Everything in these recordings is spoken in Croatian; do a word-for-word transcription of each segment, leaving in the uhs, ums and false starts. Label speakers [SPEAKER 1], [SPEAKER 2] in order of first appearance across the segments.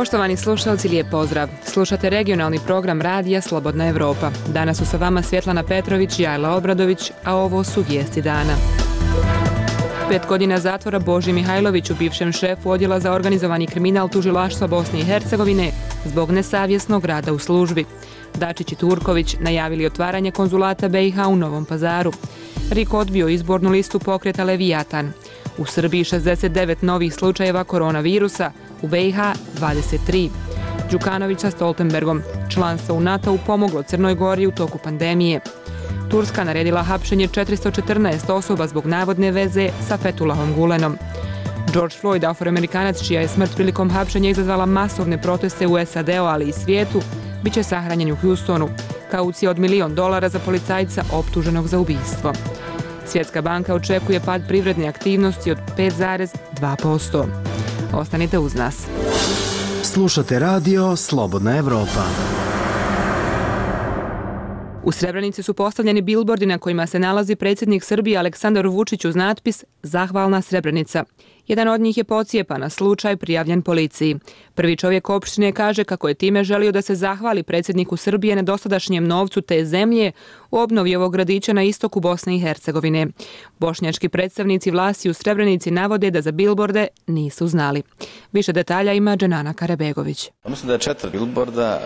[SPEAKER 1] Poštovani slušalci, lijep pozdrav. Slušate regionalni program radija Slobodna Evropa. Danas su sa vama Svjetlana Petrović i Ajla Obradović, a ovo su vijesti dana. Pet godina zatvora Boži Mihajloviću, bivšem šefu odjela za organizovani kriminal tužilaštva Bosne i Hercegovine, zbog nesavjesnog rada u službi. Dačić i Turković najavili otvaranje konzulata B i H u Novom Pazaru. RIK odbio izbornu listu pokreta Levijatan. U Srbiji šezdeset devet novih slučajeva koronavirusa, u B i H dvadeset tri. Đukanović sa Stoltenbergom, članstvo u NATO-u pomoglo Crnoj Gori u toku pandemije. Turska naredila hapšenje četiristo četrnaest osoba zbog navodne veze sa Fethullahom Gulenom. George Floyd, afroamerikanac čija je smrt prilikom hapšenja izazvala masovne proteste u S A D-u, ali i svijetu, bit će sahranjen u Houstonu. Kaucija od milion dolara za policajca optuženog za ubistvo. Svjetska banka očekuje pad privredne aktivnosti od pet zarez dva posto. Ostanite uz nas.
[SPEAKER 2] Slušate radio Slobodna Evropa.
[SPEAKER 1] U Srebrenici su postavljeni bilbordi na kojima se nalazi predsjednik Srbije Aleksandar Vučić uz natpis Zahvalna Srebrenica. Jedan od njih je pocijepan, na slučaj prijavljen policiji. Prvi čovjek opštine kaže kako je time želio da se zahvali predsjedniku Srbije na dosadašnjem novcu te zemlje u obnovi ovog gradića na istoku Bosne i Hercegovine. Bošnjački predstavnici vlasti u Srebrenici navode da za bilborde nisu znali. Više detalja ima Dženana Karabegović.
[SPEAKER 3] Mislim da je četiri bilborda,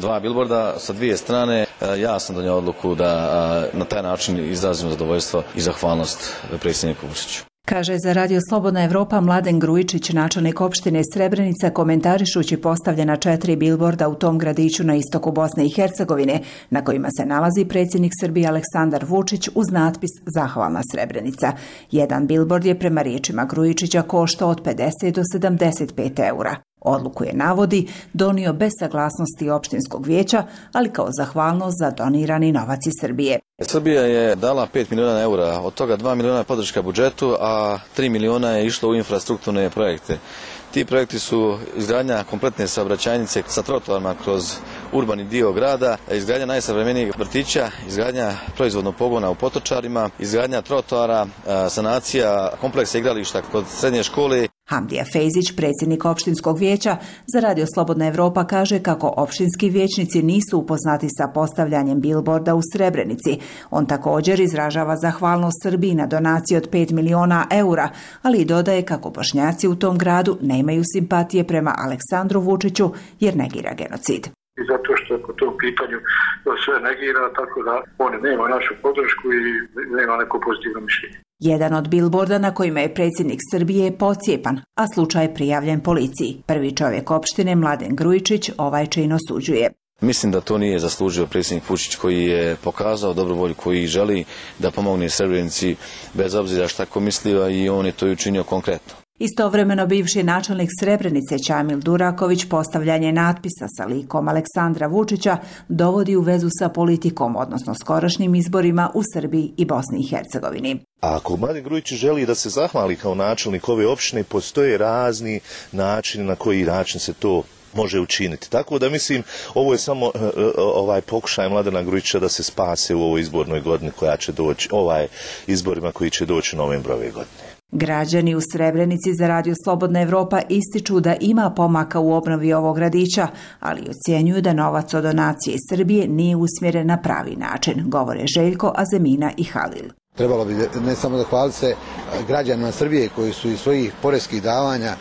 [SPEAKER 3] dva bilborda sa dvije strane. Ja sam donio odluku da na taj način izrazim zadovoljstvo i zahvalnost predsjedniku Vučiću.
[SPEAKER 4] Kaže za radio Slobodna Evropa Mladen Grujičić, načelnik opštine Srebrenica, komentarišući postavljena četiri bilborda u tom gradiću na istoku Bosne i Hercegovine, na kojima se nalazi predsjednik Srbije Aleksandar Vučić uz natpis Zahvalna Srebrenica. Jedan bilbord je prema riječima Grujičića koštao od pedeset do sedamdeset pet eura. Odluku je, navodi, donio bez saglasnosti opštinskog vijeća, ali kao zahvalnost za donirani novac iz Srbije.
[SPEAKER 3] Srbija je dala pet miliona eura, od toga dva miliona je podrška budžetu, a tri miliona je išlo u infrastrukturne projekte. Ti projekti su izgradnja kompletne saobraćajnice sa trotoarima kroz urbani dio grada, izgradnja najsavremenijeg vrtića, izgradnja proizvodnog pogona u Potočarima, izgradnja trotoara, sanacija kompleksa igrališta kod srednje škole.
[SPEAKER 4] Hamdija Fejzić, predsjednik opštinskog vijeća, za radio Slobodna Evropa kaže kako opštinski vijećnici nisu upoznati sa postavljanjem bilborda u Srebrenici. On također izražava zahvalnost Srbiji na donaciji od pet miliona eura, ali i dodaje kako Bošnjaci u tom gradu nemaju simpatije prema Aleksandru Vučiću jer negira genocid.
[SPEAKER 5] I zato što po tom pitanju sve negira, tako da on nema našu podršku i nema neko pozitivno mišljenje.
[SPEAKER 4] Jedan od bilborda na kojima je predsjednik Srbije je pocijepan, a slučaj je prijavljen policiji. Prvi čovjek opštine Mladen Grujičić ovaj čin osuđuje.
[SPEAKER 3] Mislim da to nije zaslužio predsjednik Vučić koji je pokazao dobru volju, koji želi da pomogne Srebrenici bez obzira šta ko mislio, i on je to i učinio konkretno.
[SPEAKER 4] Istovremeno bivši načelnik Srebrenice Čamil Duraković postavljanje natpisa sa likom Aleksandra Vučića dovodi u vezu sa politikom, odnosno skorašnjim izborima u Srbiji i Bosni i Hercegovini.
[SPEAKER 6] A ako Mladen Grujić želi da se zahvali kao načelnik ove opštine, postoje razni načini na koji način se to može učiniti. Tako da mislim, ovo je samo uh, ovaj pokušaj Mladena Grujića da se spase u ovoj izbornoj godini koja će doći, ovaj izborima koji će doći u novembru ove godine.
[SPEAKER 4] Građani u Srebrenici za radio Slobodna Evropa ističu da ima pomaka u obnovi ovog gradića, ali ocjenjuju da novac od donacije iz Srbije nije usmjeren na pravi način, govore Željko, Azemina i Halil.
[SPEAKER 7] Trebalo bi ne samo da hvali se građanima Srbije koji su iz svojih poreskih davanja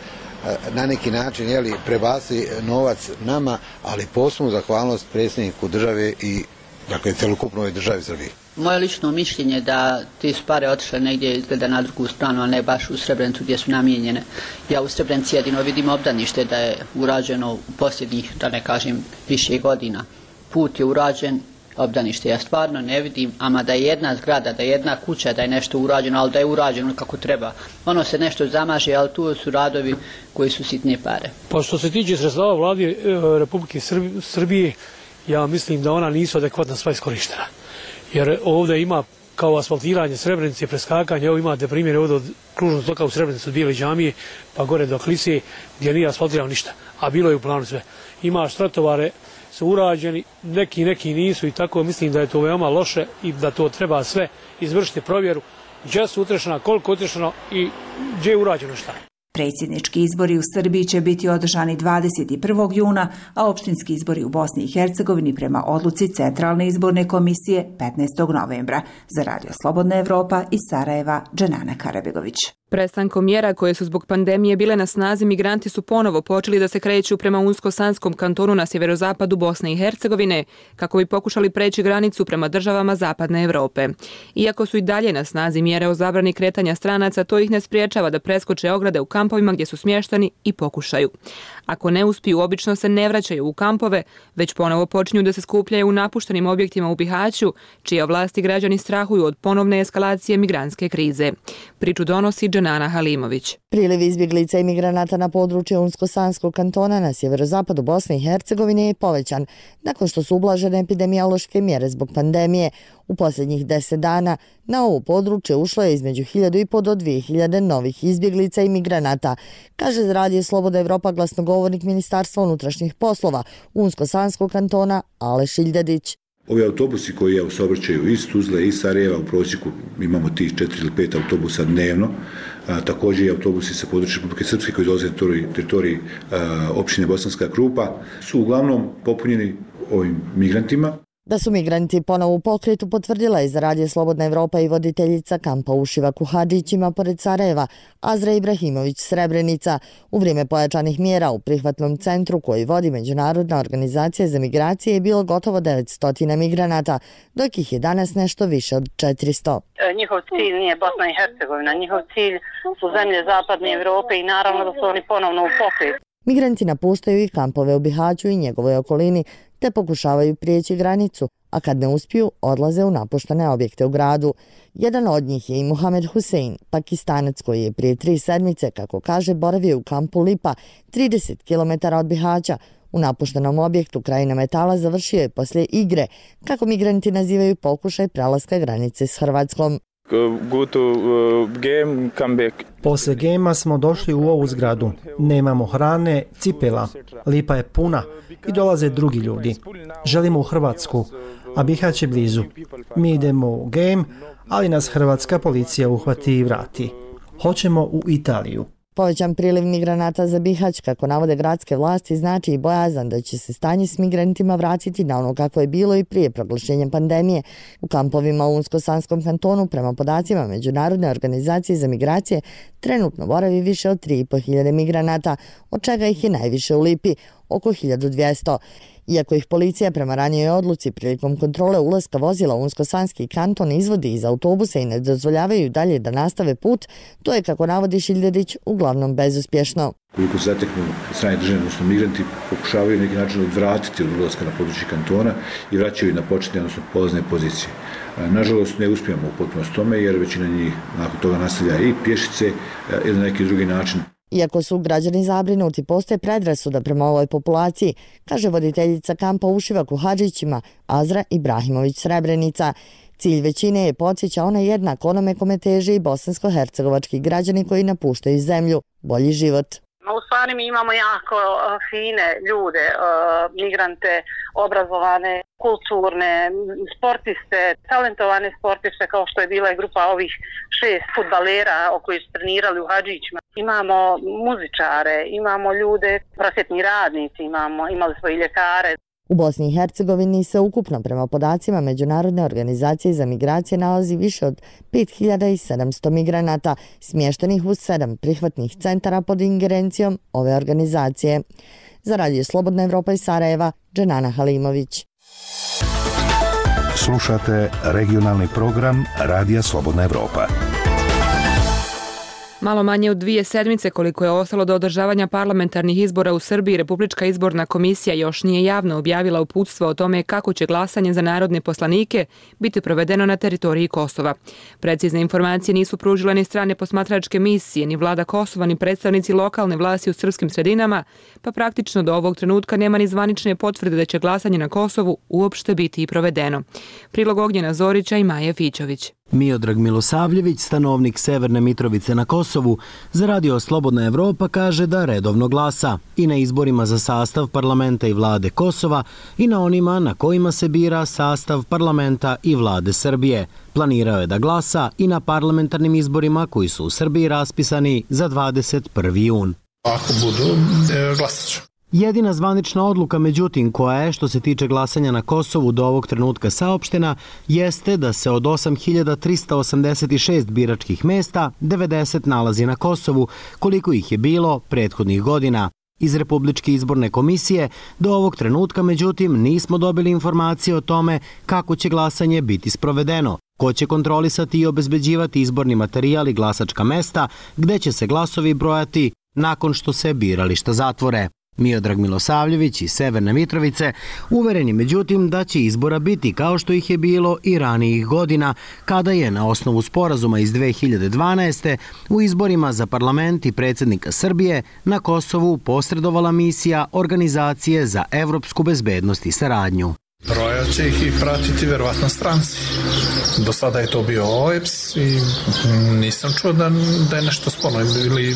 [SPEAKER 7] na neki način jeli, prebacili novac nama, ali posebnu zahvalnost predsjedniku države i dakle, celokupnoj državi Srbije.
[SPEAKER 8] Moje lično mišljenje da ti su pare otišle negdje izgleda na drugu stranu, a ne baš u Srebrenicu gdje su namijenjene. Ja u Srebrenici jedino vidim obdanište da je urađeno u posljednjih, da ne kažem, više godina. Put je urađen, obdanište ja stvarno ne vidim, ama da je jedna zgrada, da je jedna kuća, da je nešto urađeno, ali da je urađeno kako treba. Ono se nešto zamaže, ali tu su radovi koji su sitne pare.
[SPEAKER 9] Pa što se tiče sredstava vlade Republike Srbije, ja mislim da ona nisu adekvatna sva iskorištena. Jer ovdje ima kao asfaltiranje Srebrenice, preskakanje, evo imate primjer ovdje od kružnog toka u Srebrenici od Bijele džamije pa gore do Klise gdje nije asfaltirano ništa, a bilo je u planu sve. Ima trotovare su urađeni, neki neki nisu i tako mislim da je to veoma loše i da to treba sve izvršiti provjeru gdje su utrešena, koliko utrešeno i gdje je urađeno šta.
[SPEAKER 4] Predsjednički izbori u Srbiji će biti održani dvadeset prvog juna, a opštinski izbori u Bosni i Hercegovini prema odluci Centralne izborne komisije petnaestog novembra. Za Radio Slobodna Evropa iz Sarajeva, Dženana Karabegović.
[SPEAKER 1] Prestankom mjera koje su zbog pandemije bile na snazi, migranti su ponovo počeli da se kreću prema Unsko-Sanskom kantonu na sjeverozapadu Bosne i Hercegovine kako bi pokušali preći granicu prema državama Zapadne Evrope. Iako su i dalje na snazi mjere o zabrani kretanja stranaca, to ih ne spriječava da preskoče ograde u kampovima gdje su smješteni i pokušaju. Ako ne uspiju, obično se ne vraćaju u kampove, već ponovo počinju da se skupljaju u napuštenim objektima u Bihaću, čije vlasti građani strahuju od ponovne eskalacije migrantske krize. Priču donosi Dženana Halimović.
[SPEAKER 10] Priliv izbjeglica i migranata na području Unsko-Sanskog kantona na sjeverozapadu Bosne i Hercegovine je povećan nakon što su ublažene epidemiološke mjere zbog pandemije. U posljednjih deset dana na ovo područje ušlo je između hiljadu i po do dvije hiljade novih izbjeglica i migranata, kaže za Radio Slobodna Evropa glasnogovornik Ministarstva unutrašnjih poslova Unsko-Sanskog kantona Aleš Iljadić.
[SPEAKER 11] Ovi autobusi koji je u saobraćaju iz Tuzle i Sarajeva, u prosjeku imamo tih četiri ili pet autobusa dnevno, a, također i autobusi sa područja Republike Srpske koji dolaze na teritoriji općine Bosanska Krupa, su uglavnom popunjeni ovim migrantima.
[SPEAKER 10] Da su migranti ponovo u pokretu potvrdila je za Radio Slobodna Evropa i voditeljica kampa u Šivaku Hadžićima pored Sarajeva, Azra Ibrahimović Srebrenica. U vrijeme pojačanih mjera u prihvatnom centru koji vodi Međunarodna organizacija za migracije je bilo gotovo devetsto migranata, dok ih je danas nešto više od četiristo.
[SPEAKER 12] Njihov cilj nije Bosna i Hercegovina, njihov cilj su zemlje Zapadne Evrope i naravno da su oni ponovno u pokretu.
[SPEAKER 10] Migranti napuštaju i kampove u Bihaću i njegovoj okolini, te pokušavaju prijeći granicu, a kad ne uspiju, odlaze u napuštene objekte u gradu. Jedan od njih je i Muhamed Husein, Pakistanac koji je prije tri sedmice, kako kaže, boravio u kampu Lipa, trideset kilometara od Bihaća. U napuštenom objektu krajina metala završio je poslije igre, kako migranti nazivaju pokušaj prelaska granice s Hrvatskom.
[SPEAKER 13] Go to uh, game, come back.
[SPEAKER 14] Posle gema smo došli u ovu zgradu. Nemamo hrane, cipela. Lipa je puna i dolaze drugi ljudi. Želimo u Hrvatsku, a Bihać je blizu. Mi idemo u game, ali nas hrvatska policija uhvati i vrati. Hoćemo u Italiju.
[SPEAKER 10] Povećan priliv migranata za Bihać, kako navode gradske vlasti, znači i bojazan da će se stanje s migrantima vratiti na ono kako je bilo i prije proglašenja pandemije. U kampovima u Unsko-Sanskom kantonu, prema podacima Međunarodne organizacije za migracije, trenutno boravi više od tri i po hiljade migranata, od čega ih je najviše u Lipi, oko hiljadu dvjesto. Iako ih policija prema ranijoj odluci prilikom kontrole ulaska vozila u Unsko-Sanski kanton izvodi iz autobusa i ne dozvoljavaju dalje da nastave put, to je, kako navodi Šiljadić, uglavnom bezuspješno.
[SPEAKER 11] Koliko se zateknu strane države, odnosno migranti, pokušavaju neki način odvratiti od ulaska na područje kantona i vraćaju na početne, odnosno polazne pozicije. Nažalost, ne uspijemo u potpunosti tome jer većina njih nakon toga nastavlja i pješice ili na neki drugi način.
[SPEAKER 10] Iako su građani zabrinuti, postoje predrasuda prema ovoj populaciji, kaže voditeljica kampa u Šivaku Hadžićima Azra Ibrahimović Srebrenica. Cilj većine je, podsjeća, ona jednak onome kome teže i bosansko-hercegovački građani koji napuštaju zemlju, bolji život.
[SPEAKER 12] U stvari mi imamo jako fine ljude, migrante, obrazovane, kulturne, sportiste, talentovane sportiste, kao što je bila i grupa ovih šest fudbalera o koji su trenirali u Hadžićima. Imamo muzičare, imamo ljude, prosvjetni radnici, imamo, imali smo i ljekare.
[SPEAKER 10] U Bosni i Hercegovini se ukupno prema podacima Međunarodne organizacije za migracije nalazi više od pet hiljada sedamsto migranata, smještenih u sedam prihvatnih centara pod ingerencijom ove organizacije. Za Radio Slobodna Evropa iz Sarajeva, Dženana Halimović.
[SPEAKER 15] Slušate regionalni program Radija Slobodna Evropa.
[SPEAKER 1] Malo manje od dvije sedmice koliko je ostalo do održavanja parlamentarnih izbora u Srbiji, Republička izborna komisija još nije javno objavila uputstvo o tome kako će glasanje za narodne poslanike biti provedeno na teritoriji Kosova. Precizne informacije nisu pružile ni strane posmatračke misije, ni vlada Kosova, ni predstavnici lokalne vlasti u srpskim sredinama, pa praktično do ovog trenutka nema ni zvanične potvrde da će glasanje na Kosovu uopšte biti i provedeno. Prilog Ognjena Zorića i Maje Fićović.
[SPEAKER 2] Miodrag Milosavljević, stanovnik Severne Mitrovice na Kosovu, za radio Slobodna Evropa kaže da redovno glasa i na izborima za sastav parlamenta i vlade Kosova i na onima na kojima se bira sastav parlamenta i vlade Srbije. Planirao je da glasa i na parlamentarnim izborima koji su u Srbiji raspisani za dvadeset prvi jun.
[SPEAKER 16] Ako budu, glasat ću.
[SPEAKER 2] Jedina zvanična odluka, međutim, koja je, što se tiče glasanja na Kosovu do ovog trenutka saopštena, jeste da se od osam hiljada trista osamdeset šest biračkih mesta devedeset nalazi na Kosovu, koliko ih je bilo prethodnih godina. Iz Republičke izborne komisije do ovog trenutka, međutim, nismo dobili informacije o tome kako će glasanje biti sprovedeno, ko će kontrolisati i obezbeđivati izborni materijal i glasačka mesta, gde će se glasovi brojati nakon što se birališta zatvore. Miodrag Milosavljević iz Severne Mitrovice uveren je međutim da će izbora biti kao što ih je bilo i ranijih godina, kada je na osnovu sporazuma iz dve hiljade dvanaeste. u izborima za parlament i predsjednika Srbije na Kosovu posredovala misija Organizacije za evropsku bezbednost i saradnju.
[SPEAKER 16] Broja će ih i pratiti verovatno stranci. Do sada je to bio O E B S i nisam čuo da, da je nešto sporno ili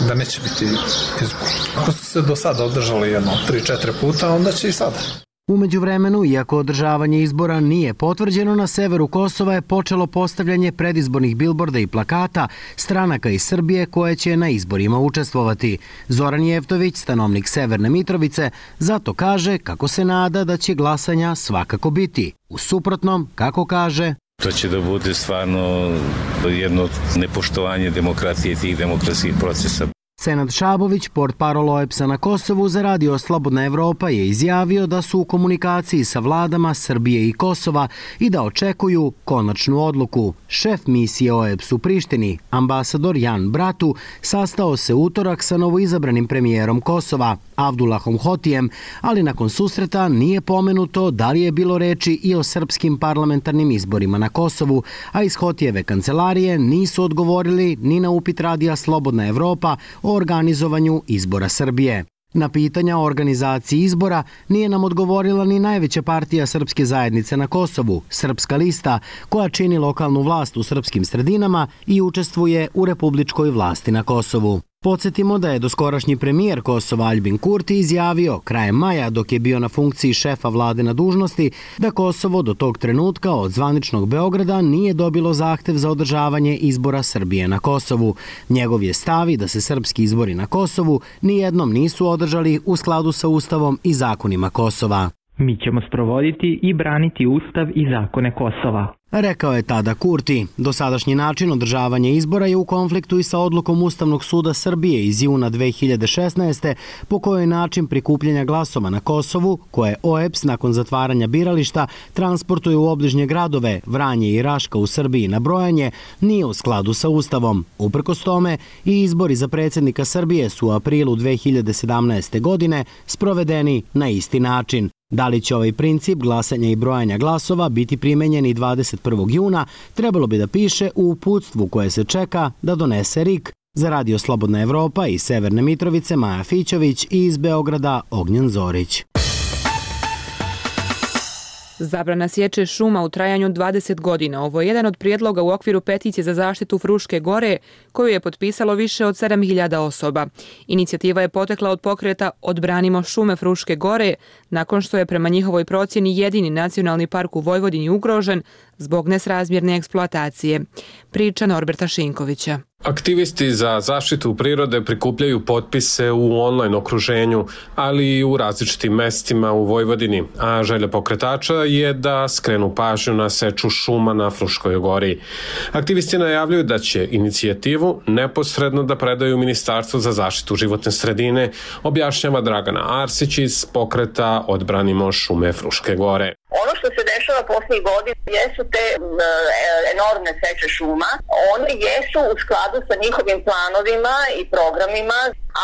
[SPEAKER 16] da neće biti izbor. Ako su se do sada održali jedno tri četiri puta, onda će i sada.
[SPEAKER 2] U međuvremenu, iako održavanje izbora nije potvrđeno, na severu Kosova je počelo postavljanje predizbornih bilborda i plakata stranaka iz Srbije koje će na izborima učestvovati. Zoran Jeftović, stanovnik Severne Mitrovice, zato kaže kako se nada da će glasanja svakako biti. U suprotnom, kako kaže,
[SPEAKER 17] to će da bude stvarno jedno nepoštovanje demokratije i tih demokratskih procesa.
[SPEAKER 2] Senad Šabović, portparol O E B S-a na Kosovu, za radio Slobodna Evropa je izjavio da su u komunikaciji sa vladama Srbije i Kosova i da očekuju konačnu odluku. Šef misije O E B S u Prištini, ambasador Jan Bratu, sastao se utorak sa novoizabranim premijerom Kosova, Avdulahom Hotijem, ali nakon susreta nije pomenuto da li je bilo reči i o srpskim parlamentarnim izborima na Kosovu, a iz Hotijeve kancelarije nisu odgovorili ni na upit radija Slobodna Evropa o organizovanju izbora Srbije. Na pitanja o organizaciji izbora nije nam odgovorila ni najveća partija srpske zajednice na Kosovu, Srpska lista, koja čini lokalnu vlast u srpskim sredinama i učestvuje u republičkoj vlasti na Kosovu. Podsjetimo da je doskorašnji premijer Kosova Aljbin Kurti izjavio krajem maja, dok je bio na funkciji šefa vlade na dužnosti, da Kosovo do tog trenutka od zvaničnog Beograda nije dobilo zahtev za održavanje izbora Srbije na Kosovu. Njegov je stav da se srpski izbori na Kosovu nijednom nisu održali u skladu sa Ustavom i zakonima Kosova.
[SPEAKER 18] Mi ćemo sprovoditi i braniti Ustav i zakone Kosova,
[SPEAKER 2] rekao je tada Kurti. Dosadašnji način održavanja izbora je u konfliktu i sa odlukom Ustavnog suda Srbije iz juna dve hiljade šesnaeste. po kojoj način prikupljanja glasova na Kosovu, koje O E B S nakon zatvaranja birališta transportuje u obližnje gradove Vranje i Raška u Srbiji na brojanje, nije u skladu sa Ustavom. Uprkos tome, i izbori za predsjednika Srbije su u aprilu dve hiljade sedamnaeste. godine sprovedeni na isti način. Da li će ovaj princip glasanja i brojanja glasova biti primenjen i dvadeset prvog juna, trebalo bi da piše u uputstvu koje se čeka da donese R I K. Za radio Slobodna Evropa iz Severne Mitrovice Maja Fićović i iz Beograda Ognjen Zorić.
[SPEAKER 1] Zabrana sječe šuma u trajanju dvadeset godina. Ovo je jedan od prijedloga u okviru peticije za zaštitu Fruške gore, koju je potpisalo više od sedam hiljada osoba. Inicijativa je potekla od pokreta Odbranimo šume Fruške gore, nakon što je prema njihovoj procjeni jedini nacionalni park u Vojvodini ugrožen zbog nesrazmjerne eksploatacije. Priča Norberta Šinkovića.
[SPEAKER 19] Aktivisti za zaštitu prirode prikupljaju potpise u online okruženju, ali i u različitim mestima u Vojvodini, a želja pokretača je da skrenu pažnju na seču šuma na Fruškoj gori. Aktivisti najavljuju da će inicijativu neposredno da predaju Ministarstvu za zaštitu životne sredine, objašnjava Dragana Arsić iz pokreta Odbranimo šume Fruške gore.
[SPEAKER 20] Ono što se dešava posljednjih godina jesu te e, enormne seče šuma. One jesu u skladu sa njihovim planovima i programima,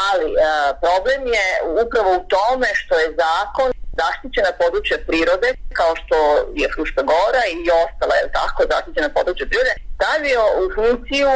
[SPEAKER 20] ali e, problem je upravo u tome što je zakon zaštićena područja prirode, kao što je Fruška gora i ostale tako zaštićena područja prirode, stavio u funkciju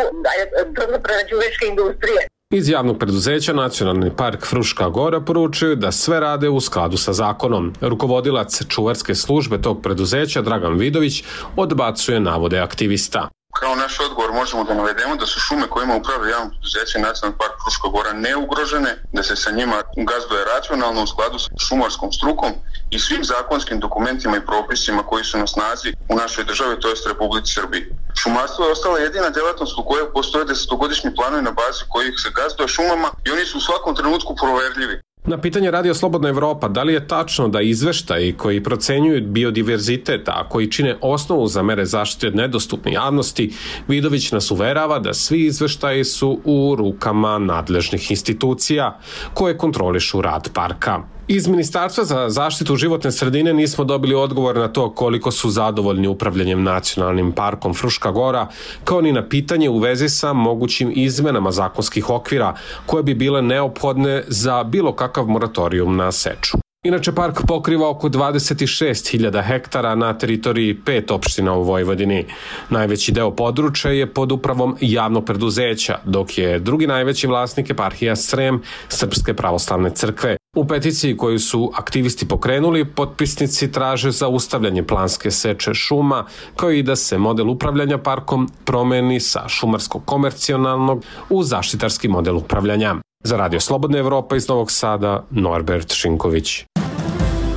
[SPEAKER 20] drvno-prerađivačke industrije.
[SPEAKER 19] Iz javnog preduzeća Nacionalni park Fruška Gora poručuju da sve rade u skladu sa zakonom. Rukovodilac čuvarske službe tog preduzeća Dragan Vidović odbacuje navode aktivista.
[SPEAKER 21] Kao naš odgovor možemo da navedemo da su šume kojima upravlja javno preduzeće Nacionalni park Fruška Gora neugrožene, da se sa njima gazduje racionalno u skladu s šumarskom strukom i svim zakonskim dokumentima i propisima koji su na snazi u našoj državi, to jest Republici Srbiji. Šumarstvo je ostala jedina djelatnost u kojoj postoje desetogodišnji planovi na bazi kojih se gazduje šumama i oni su u svakom trenutku proverljivi.
[SPEAKER 19] Na pitanje Radio Slobodna Evropa da li je tačno da izveštaji koji procenjuju biodiverzitet, a koji čine osnovu za mere zaštite nedostupne javnosti, Vidović nas uverava da svi izveštaji su u rukama nadležnih institucija koje kontrolišu rad parka. Iz Ministarstva za zaštitu životne sredine nismo dobili odgovor na to koliko su zadovoljni upravljanjem Nacionalnim parkom Fruška Gora, kao ni na pitanje u vezi sa mogućim izmenama zakonskih okvira koje bi bile neophodne za bilo kakav moratorijum na seču. Inače, park pokriva oko dvadeset šest hiljada hektara na teritoriji pet opština u Vojvodini. Najveći deo područja je pod upravom javnog preduzeća, dok je drugi najveći vlasnik eparhija Srem Srpske pravoslavne crkve. U peticiji koju su aktivisti pokrenuli, potpisnici traže zaustavljanje planske seče šuma, kao i da se model upravljanja parkom promeni sa šumarsko-komercionalnog u zaštitarski model upravljanja. Za Radio Slobodna Evropa iz Novog Sada, Norbert Šinković.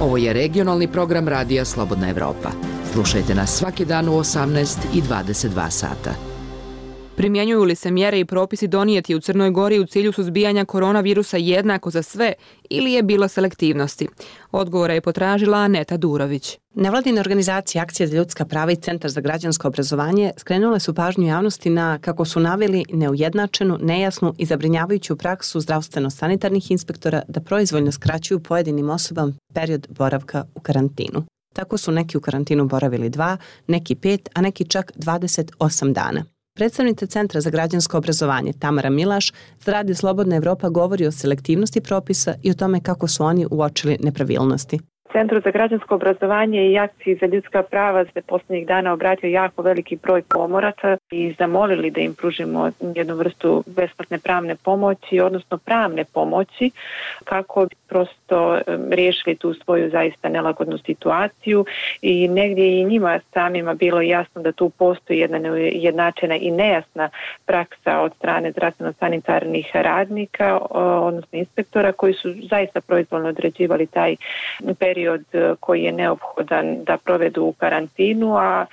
[SPEAKER 22] Ovo je regionalni program Radija Slobodna Evropa. Slušajte nas svaki dan u osamnaest i dvadeset dva sata.
[SPEAKER 1] Primjenjuju li se mjere i propisi donijeti u Crnoj Gori u cilju suzbijanja koronavirusa jednako za sve ili je bilo selektivnosti? Odgovora je potražila Aneta Durović.
[SPEAKER 23] Nevladine organizacije Akcija za ljudska prava i Centar za građansko obrazovanje skrenule su pažnju javnosti na, kako su naveli, neujednačenu, nejasnu i zabrinjavajuću praksu zdravstveno-sanitarnih inspektora da proizvoljno skraćuju pojedinim osobama period boravka u karantinu. Tako su neki u karantinu boravili dva, neki pet, a neki čak dvadeset osam dana. Predstavnica Centra za građansko obrazovanje Tamara Milaš za Radio Slobodna Evropa govori o selektivnosti propisa i o tome kako su oni uočili nepravilnosti.
[SPEAKER 24] Centru za građansko obrazovanje i Akciji za ljudska prava se posljednjih dana obratio jako veliki broj pomoraca i zamolili da im pružimo jednu vrstu besplatne pravne pomoći, odnosno pravne pomoći, kako bi prosto riješili tu svoju zaista nelagodnu situaciju i negdje i njima samima bilo jasno da tu postoji jedna nejednačena i nejasna praksa od strane zdravstveno-sanitarnih radnika, odnosno inspektora, koji su zaista proizvoljno određivali taj period koji je neophodan da provedu u karantinu, a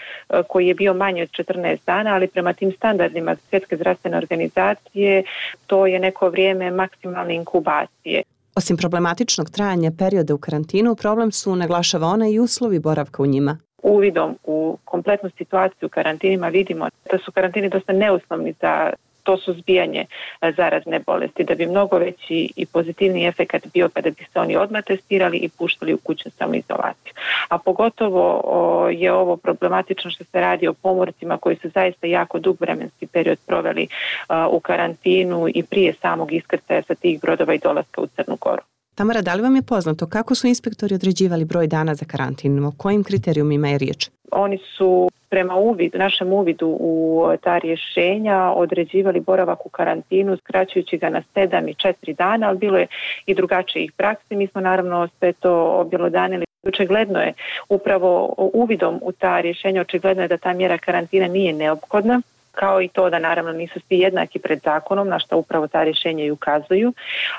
[SPEAKER 24] koji je bio manji od četrnaest dana, ali prema tim standardima Svjetske zdravstvene organizacije to je neko vrijeme maksimalne inkubacije.
[SPEAKER 23] Osim problematičnog trajanja perioda u karantinu, problem su, naglašava ona, i uslovi boravka u njima.
[SPEAKER 24] Uvidom u kompletnu situaciju u karantinima vidimo da su karantini dosta neuslovni za to suzbijanje zarazne bolesti, da bi mnogo veći i pozitivni efekat bio kada bi se oni odmah testirali i puštali u kućnu samoizolaciju. A pogotovo o, je ovo problematično što se radi o pomorcima koji su zaista jako dug vremenski period proveli a, u karantinu i prije samog iskrcaja sa tih brodova i dolaska u Crnu Goru.
[SPEAKER 23] Tamara, da li vam je poznato kako su inspektori određivali broj dana za karantin? O kojim kriterijumima je riječ?
[SPEAKER 24] Oni su prema uvidu, našem uvidu u ta rješenja određivali boravak u karantinu, skraćujući ga na sedam i četiri dana, ali bilo je i drugačijih praksi. Mi smo naravno sve to objelodanili. Očigledno je upravo uvidom u ta rješenja, očigledno je da ta mjera karantina nije neophodna, kao i to da naravno nisu svi jednaki pred zakonom, na što upravo ta rješenja i ukazuju,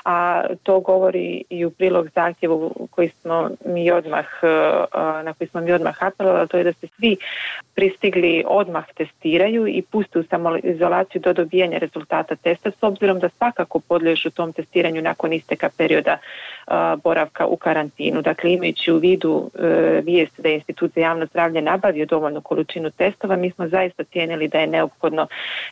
[SPEAKER 24] a to govori i u prilog zahtjevu koji smo mi odmah, na koji smo mi odmah apelovali, to je da se svi pristigli odmah testiraju i puste u samoizolaciju do dobijanja rezultata testa, s obzirom da svakako podliježu tom testiranju nakon isteka perioda boravka u karantinu. Dakle, imajući u vidu vijest da je Institut za javno zdravlje nabavio dovoljnu količinu testova, mi smo zaista cijenili da je neophodno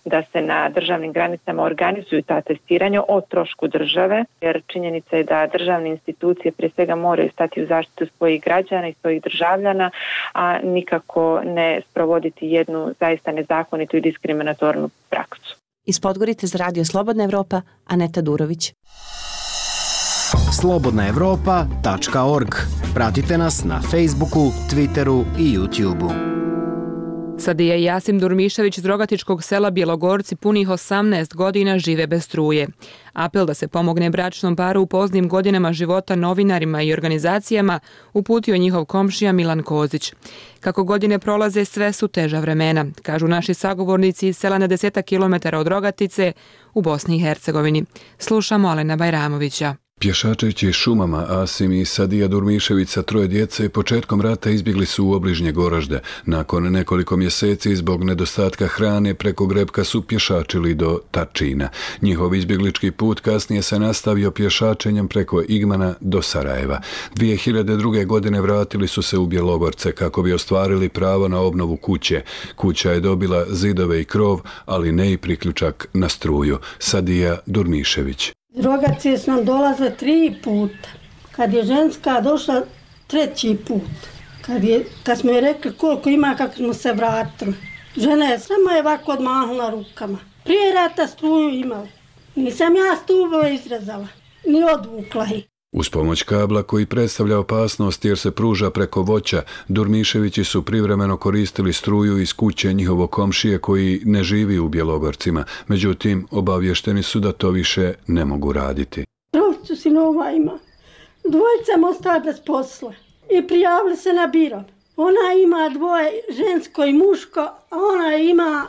[SPEAKER 24] da se na državnim granicama organizuju ta testiranja o trošku države, jer činjenica je da državne institucije prije svega moraju stati u zaštitu svojih građana i svojih državljana, a nikako ne sprovoditi jednu zaista nezakonitu i diskriminatornu praksu.
[SPEAKER 23] Iz Podgorice za Radio Slobodna Evropa, Aneta Durović.
[SPEAKER 2] slobodna evropa tačka org. Pratite nas na Facebooku, Twitteru i YouTubeu.
[SPEAKER 1] Sadija i Jasim Durmišević iz rogatičkog sela Bjelogorci punih osamnaest godina žive bez struje. Apel da se pomogne bračnom paru u poznim godinama života novinarima i organizacijama uputio njihov komšija Milan Kozić. Kako godine prolaze, sve su teža vremena, kažu naši sagovornici iz sela na desetak kilometara od Rogatice u Bosni i Hercegovini. Slušamo Alena Bajramovića.
[SPEAKER 3] Pješačeći šumama, Asim i Sadija Durmišević sa troje djece početkom rata izbjegli su u obližnje Goražde. Nakon nekoliko mjeseci zbog nedostatka hrane preko Grebka su pješačili do Tačina. Njihov izbjeglički put kasnije se nastavio pješačenjem preko Igmana do Sarajeva. dvije hiljade druge. godine vratili su se u Bjelogorce kako bi ostvarili pravo na obnovu kuće. Kuća je dobila zidove i krov, ali ne i priključak na struju. Sadija Durmišević.
[SPEAKER 5] Rogacije su nam dolaze tri puta. Kad je ženska došla treći put. Kad, je, kad smo je rekli koliko ima, kako smo se vratili. Žena je samo je ovako odmahnula rukama. Prije rata struju imala. Nisam ja stubove izrezala, ni odvukla ih.
[SPEAKER 3] Uz pomoć kabla koji predstavlja opasnost jer se pruža preko voća, Durmiševići su privremeno koristili struju iz kuće njihovog komšije koji ne živi u Bjelogorcima. Međutim, obavješteni su da to više ne mogu raditi.
[SPEAKER 5] Trojicu sinova ima. Dvojica mu ostala bez posla i prijavili se na biro. Ona ima dvoje žensko i muško, a ona ima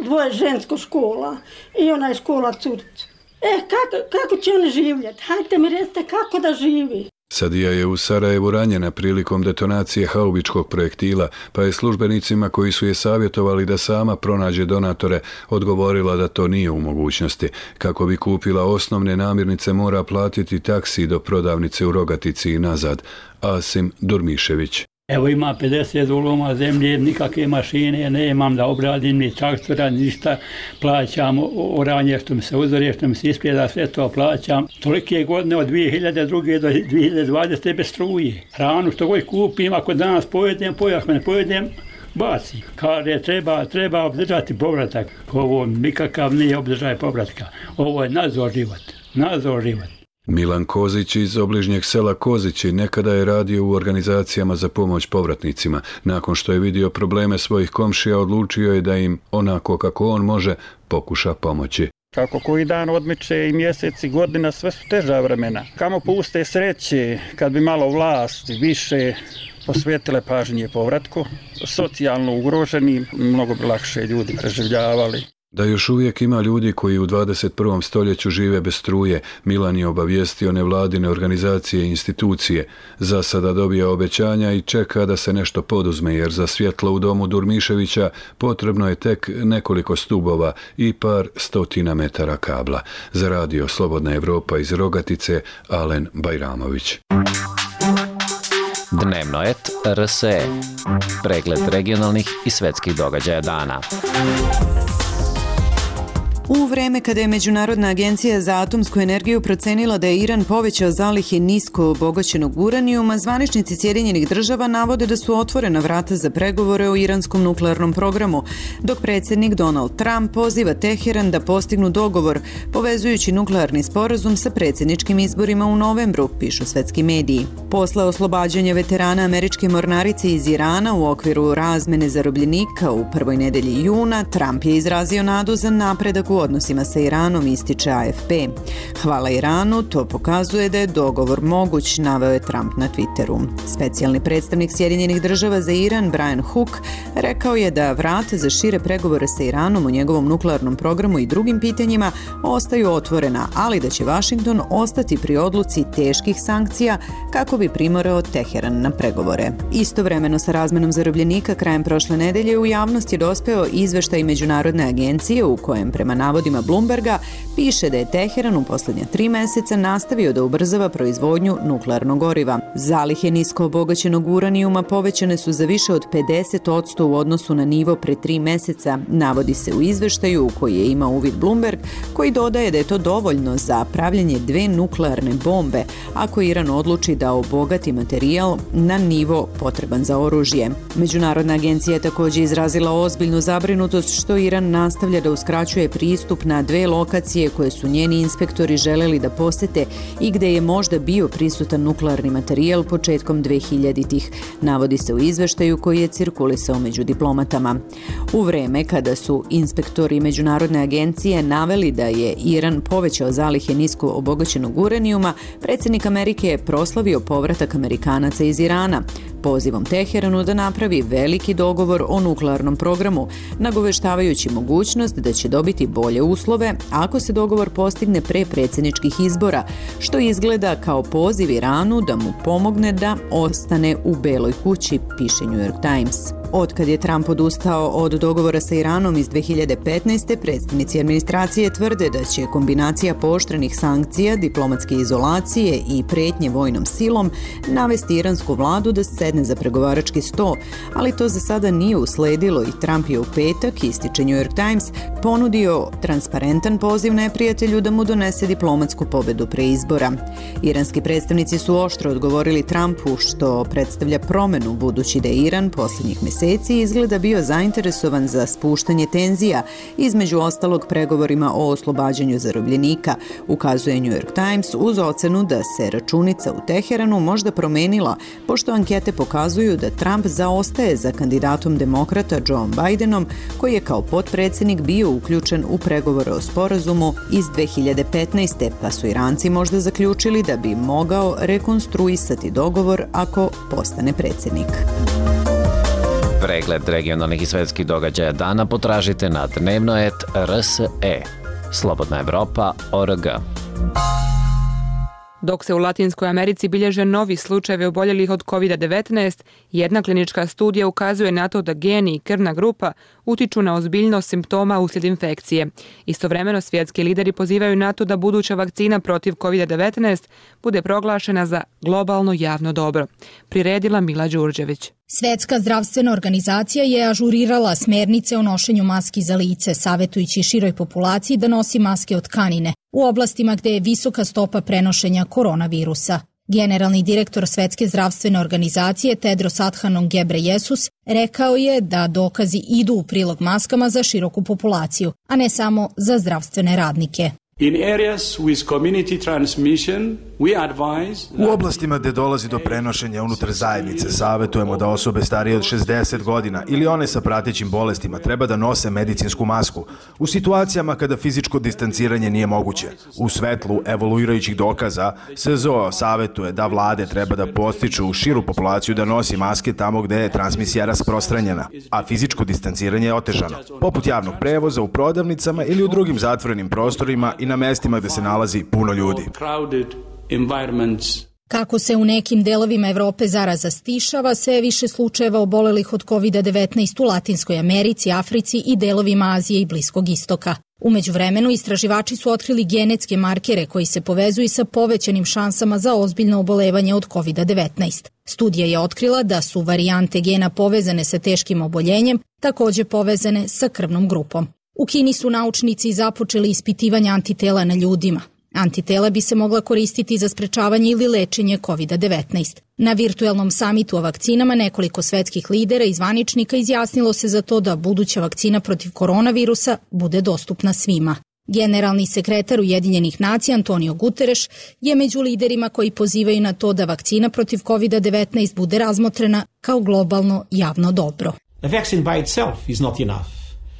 [SPEAKER 5] dvoje žensko škola i ona je škola curicu. E, kako, kako će oni živjeti? Hajde mi recite kako da živi.
[SPEAKER 3] Sadija je u Sarajevu ranjena prilikom detonacije haubičkog projektila, pa je službenicima koji su je savjetovali da sama pronađe donatore odgovorila da to nije u mogućnosti. Kako bi kupila osnovne namirnice mora platiti taksi do prodavnice u Rogatici i nazad. Asim Durmišević.
[SPEAKER 6] Evo ima pedeset uloma zemlje, nikakve mašine nemam da obradim, ni traktora, ništa. Plaćam oranje što mi se uzore, što mi se ispljeda, sve to plaćam. Tolike godine od dvije hiljade druge. do dvije hiljade dvadesete bez struje. Hranu što god kupim, ako danas pojedem, pojedem, ako ne pojedem, bacim. Kaže, treba, treba obdržati povratak. Ovo nikakav nije obdržaj povratka. Ovo je nadzor život. Nadzor život.
[SPEAKER 3] Milan Kozić iz obližnjeg sela Kozići nekada je radio u organizacijama za pomoć povratnicima. Nakon što je vidio probleme svojih komšija, odlučio je da im, onako kako on može, pokuša pomoći.
[SPEAKER 7] Kako koji dan odmiče i mjeseci, godina, sve su teža vremena. Kamo puste sreće, kad bi malo vlast više posvetile pažnje povratku, socijalno ugroženi, mnogo bi lakše ljudi preživljavali.
[SPEAKER 3] Da još uvijek ima ljudi koji u dvadeset prvom stoljeću žive bez struje, Milan je obavijestio nevladine organizacije i institucije. Za sada dobija obećanja i čeka da se nešto poduzme, jer za svjetlo u domu Durmiševića potrebno je tek nekoliko stubova i par stotina metara kabla. Za radio Slobodna Evropa iz Rogatice, Alen Bajramović.
[SPEAKER 25] Dnevnoet R S E. Pregled regionalnih i svetskih događaja dana.
[SPEAKER 26] U vreme kada je Međunarodna agencija za atomsku energiju procenila da je Iran povećao zalihe nisko obogaćenog uranijuma, zvaničnici Sjedinjenih država navode da su otvorena vrata za pregovore o iranskom nuklearnom programu, dok predsjednik Donald Trump poziva Teheran da postignu dogovor, povezujući nuklearni sporazum sa predsjedničkim izborima u novembru, pišu svetski mediji. Posle oslobađanja veterana američke mornarice iz Irana u okviru razmene zarobljenika u prvoj nedelji juna, Trump je izrazio nadu za napredak u odnosima sa Iranom, ističe A F P. Hvala Iranu, to pokazuje da je dogovor moguć, naveo je Trump na Twitteru. Specijalni predstavnik Sjedinjenih država za Iran, Brian Hook, rekao je da vrata za šire pregovore sa Iranom o njegovom nuklearnom programu i drugim pitanjima ostaju otvorena, ali da će Washington ostati pri odluci teških sankcija kako bi primorao Teheran na pregovore. Istovremeno sa razmenom zarobljenika krajem prošle nedelje u javnost je dospeo izveštaj Međunarodne agencije u kojem prema navodima Bloomberga piše da je Teheran u posljednja tri meseca nastavio da ubrzava proizvodnju nuklearnog goriva. Zalihe nisko obogaćenog uranijuma povećane su za više od pedeset posto u odnosu na nivo pre tri meseca, navodi se u izveštaju u koji je imao uvid Bloomberg, koji dodaje da je to dovoljno za pravljenje dve nuklearne bombe ako Iran odluči da obogati materijal na nivo potreban za oružje. Međunarodna agencija je također izrazila ozbiljnu zabrinutost što Iran nastavlja da uskraćuje pristup pristup na dve lokacije koje su njeni inspektori želeli da posete i gde je možda bio prisutan nuklearni materijal početkom dvehiljaditih, navodi se u izveštaju koji je cirkulisao među diplomatama. U vreme kada su inspektori Međunarodne agencije naveli da je Iran povećao zalihe nisko obogaćenog uranijuma, predsjednik Amerike je proslavio povratak Amerikanaca iz Irana, pozivom Teheranu da napravi veliki dogovor o nuklearnom programu, nagoveštavajući mogućnost da će dobiti bolje uslove ako se dogovor postigne pre predsjedničkih izbora, što izgleda kao poziv Iranu da mu pomogne da ostane u Beloj kući, piše New York Times. Otkad je Trump odustao od dogovora sa Iranom iz dve hiljade petnaeste. predstavnici administracije tvrde da će kombinacija pooštrenih sankcija, diplomatske izolacije i pretnje vojnom silom navesti iransku vladu da sedne za pregovarački sto, ali to za sada nije usledilo i Trump je u petak, ističe New York Times, ponudio transparentan poziv neprijatelju da mu donese diplomatsku pobedu pre izbora. Iranski predstavnici su oštro odgovorili Trumpu, što predstavlja promenu budući da je Iran posljednjih mjeseci izgleda bio zainteresovan za spuštanje tenzija, između ostalog pregovorima o oslobađanju zarobljenika, ukazuje New York Times uz ocenu da se računica u Teheranu možda promenila, pošto ankete pokazuju da Trump zaostaje za kandidatom demokrata Joe Bidenom, koji je kao potpredsjednik bio uključen u pregovore o sporazumu iz dve hiljade petnaeste. pa su Iranci možda zaključili da bi mogao rekonstruisati dogovor ako postane predsjednik.
[SPEAKER 25] Pregled regionalnih i svetskih događaja dana potražite na dnevnoet R S E. Slobodna Evropa точка O R G.
[SPEAKER 1] Dok se u Latinskoj Americi bilježe novi slučajevi oboljelih od kovid devetnaest, jedna klinička studija ukazuje na to da geni i krvna grupa utiču na ozbiljnost simptoma uslijed infekcije. Istovremeno svjetski lideri pozivaju na to da buduća vakcina protiv kovid devetnaest bude proglašena za globalno javno dobro. Priredila Mila Đurđević.
[SPEAKER 4] Svetska zdravstvena organizacija je ažurirala smernice o nošenju maski za lice, savjetujući široj populaciji da nosi maske od tkanine u oblastima gdje je visoka stopa prenošenja koronavirusa. Generalni direktor Svetske zdravstvene organizacije Tedros Adhanom Ghebreyesus rekao je da dokazi idu u prilog maskama za široku populaciju, a ne samo za zdravstvene radnike.
[SPEAKER 8] In areas with community transmission, we advise...
[SPEAKER 9] U oblastima gdje dolazi do prenošenja unutar zajednice, savjetujemo da osobe starije od šezdeset godina ili one sa pratećim bolestima treba da nose medicinsku masku u situacijama kada fizičko distanciranje nije moguće. U svetlu evoluirajućih dokaza, S Z O savjetuje da vlade treba da postiču širu populaciju da nosi maske tamo gdje je transmisija rasprostranjena, a fizičko distanciranje je otežano, poput javnog prevoza, u prodavnicama ili u drugim zatvorenim prostorima i na mestima gdje se nalazi puno ljudi.
[SPEAKER 4] Kako se u nekim delovima Evrope zaraza stišava, sve je više slučajeva obolelih od kovid devetnaest u Latinskoj Americi, Africi i delovima Azije i Bliskog istoka. U međuvremenu istraživači su otkrili genetske markere koji se povezuju sa povećanim šansama za ozbiljno obolevanje od kovid devetnaest. Studija je otkrila da su varijante gena povezane sa teškim oboljenjem također povezane sa krvnom grupom. U Kini su naučnici započeli ispitivanje antitela na ljudima. Antitela bi se mogla koristiti za sprečavanje ili lečenje kovid devetnaest. Na virtualnom samitu o vakcinama nekoliko svetskih lidera i zvaničnika izjasnilo se za to da buduća vakcina protiv koronavirusa bude dostupna svima. Generalni sekretar Ujedinjenih nacija Antonio Guterres je među liderima koji pozivaju na to da vakcina protiv kovid devetnaest bude razmotrena kao globalno javno dobro.
[SPEAKER 11] The vaccine by itself is not enough.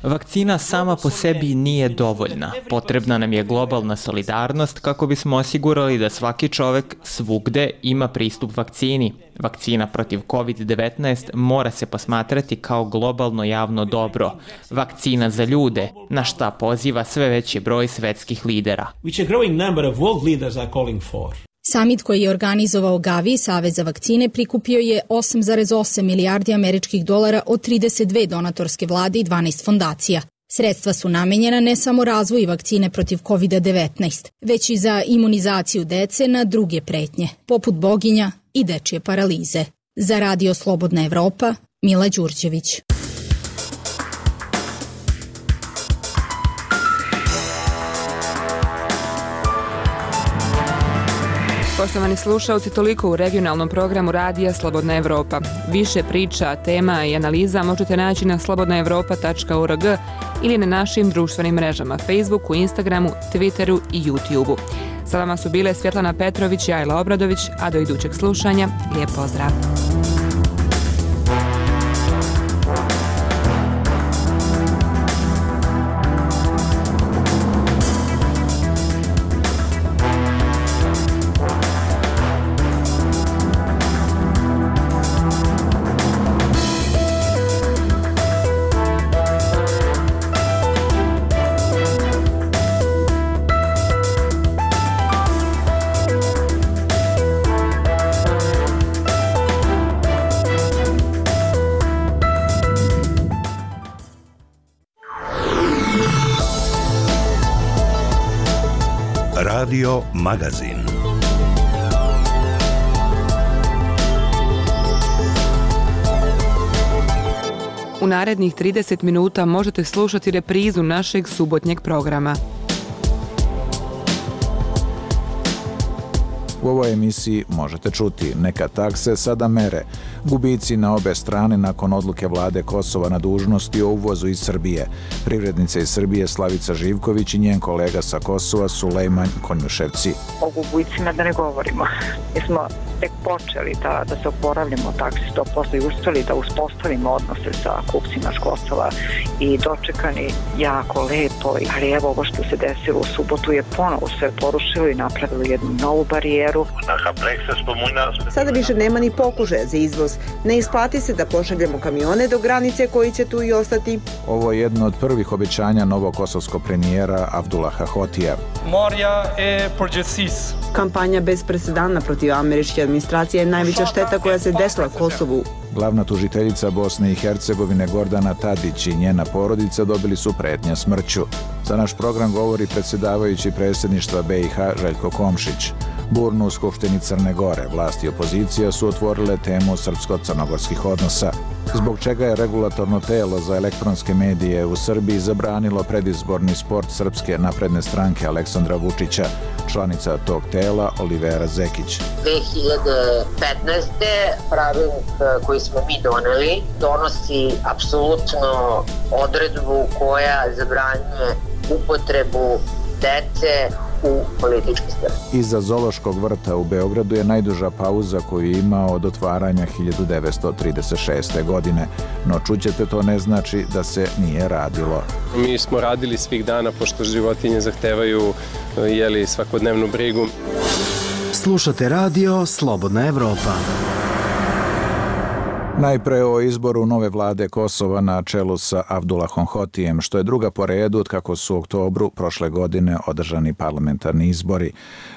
[SPEAKER 18] Vakcina sama po sebi nije dovoljna. Potrebna nam je globalna solidarnost kako bismo osigurali da svaki čovek svugde ima pristup vakcini. Vakcina protiv kovid devetnaest mora se posmatrati kao globalno javno dobro. Vakcina za ljude, na šta poziva sve veći broj svetskih lidera.
[SPEAKER 11] Which a growing number of world leaders are calling for.
[SPEAKER 4] Samit koji je organizovao Gavi, Savez za vakcine, prikupio je osam zarez osam milijardi američkih dolara od trideset dve donatorske vlade i dvanaest fondacija. Sredstva su namenjena ne samo razvoju vakcine protiv kovid devetnaest, već i za imunizaciju dece na druge pretnje, poput boginja i dečje paralize. Za Radio Slobodna Evropa, Mila Đurđević.
[SPEAKER 1] Poštovani slušalci, toliko u regionalnom programu Radija Slobodna Evropa. Više priča, tema i analiza možete naći na slobodna evropa tačka O R G ili na našim društvenim mrežama Facebooku, Instagramu, Twitteru i YouTubeu. Sa vama su bile Svjetlana Petrović i Ajla Obradović, a do idućeg slušanja, lijep pozdrav!
[SPEAKER 10] Radio Magazin.
[SPEAKER 1] U narednih trideset minuta možete slušati reprizu našeg subotnjeg programa.
[SPEAKER 12] U ovoj emisiji možete čuti neka takse sada mere, gubici na obe strane nakon odluke vlade Kosova na dužnosti o uvozu iz Srbije. Privrednica iz Srbije Slavica Živković i njen kolega sa Kosova Sulejman Konjuševci.
[SPEAKER 13] O gubicima da ne govorimo. Mi smo tek počeli da, da se oporavljamo taksi sto posto i uspeli da uspostavimo odnose sa kupcima s Kosova i dočekani jako lepo. Ali evo ovo što se desilo u subotu je ponovo sve porušilo i napravilo jednu novu barijeru.
[SPEAKER 14] Sada više nema ni pokušaja za izvoz. Ne isplati se da pošaljemo kamione do granice koji će tu i ostati.
[SPEAKER 12] Ovo je jedno od prvih obećanja novog kosovskog premijera Abdullaha Hotija.
[SPEAKER 14] Kampanja bez presedana protiv američke administracije je najveća šteta koja se desila Kosovu.
[SPEAKER 12] Glavna tužiteljica Bosne i Hercegovine Gordana Tadić i njena porodica dobili su pretnje smrću. Za naš program govori predsjedavajući predsjedništva be i ha Željko Komšić. Burnu u Skupštini Crne Gore vlast i opozicija su otvorile temu srpsko-crnogorskih odnosa, zbog čega je regulatorno telo za elektronske medije u Srbiji zabranilo predizborni sport Srpske napredne stranke Aleksandra Vučića. Članica tog tela Olivera Zekić.
[SPEAKER 15] dve hiljade petnaeste. pravilnik koji smo mi doneli donosi apsolutno odredbu koja zabranjuje upotrebu dece u politički strani.
[SPEAKER 12] Iza Zoološkog vrta u Beogradu je najduža pauza koju je imao od otvaranja hiljadu devetsto trideset šeste. godine. No čućete, to ne znači da se nije radilo.
[SPEAKER 16] Mi smo radili svih dana pošto životinje zahtevaju jeli, svakodnevnu brigu.
[SPEAKER 2] Slušate radio Slobodna Evropa.
[SPEAKER 12] Najpre o izboru nove vlade Kosova na čelu sa Abdullahom Hotijem, što je druga po redu od kako su u oktobru prošle godine održani parlamentarni izbori.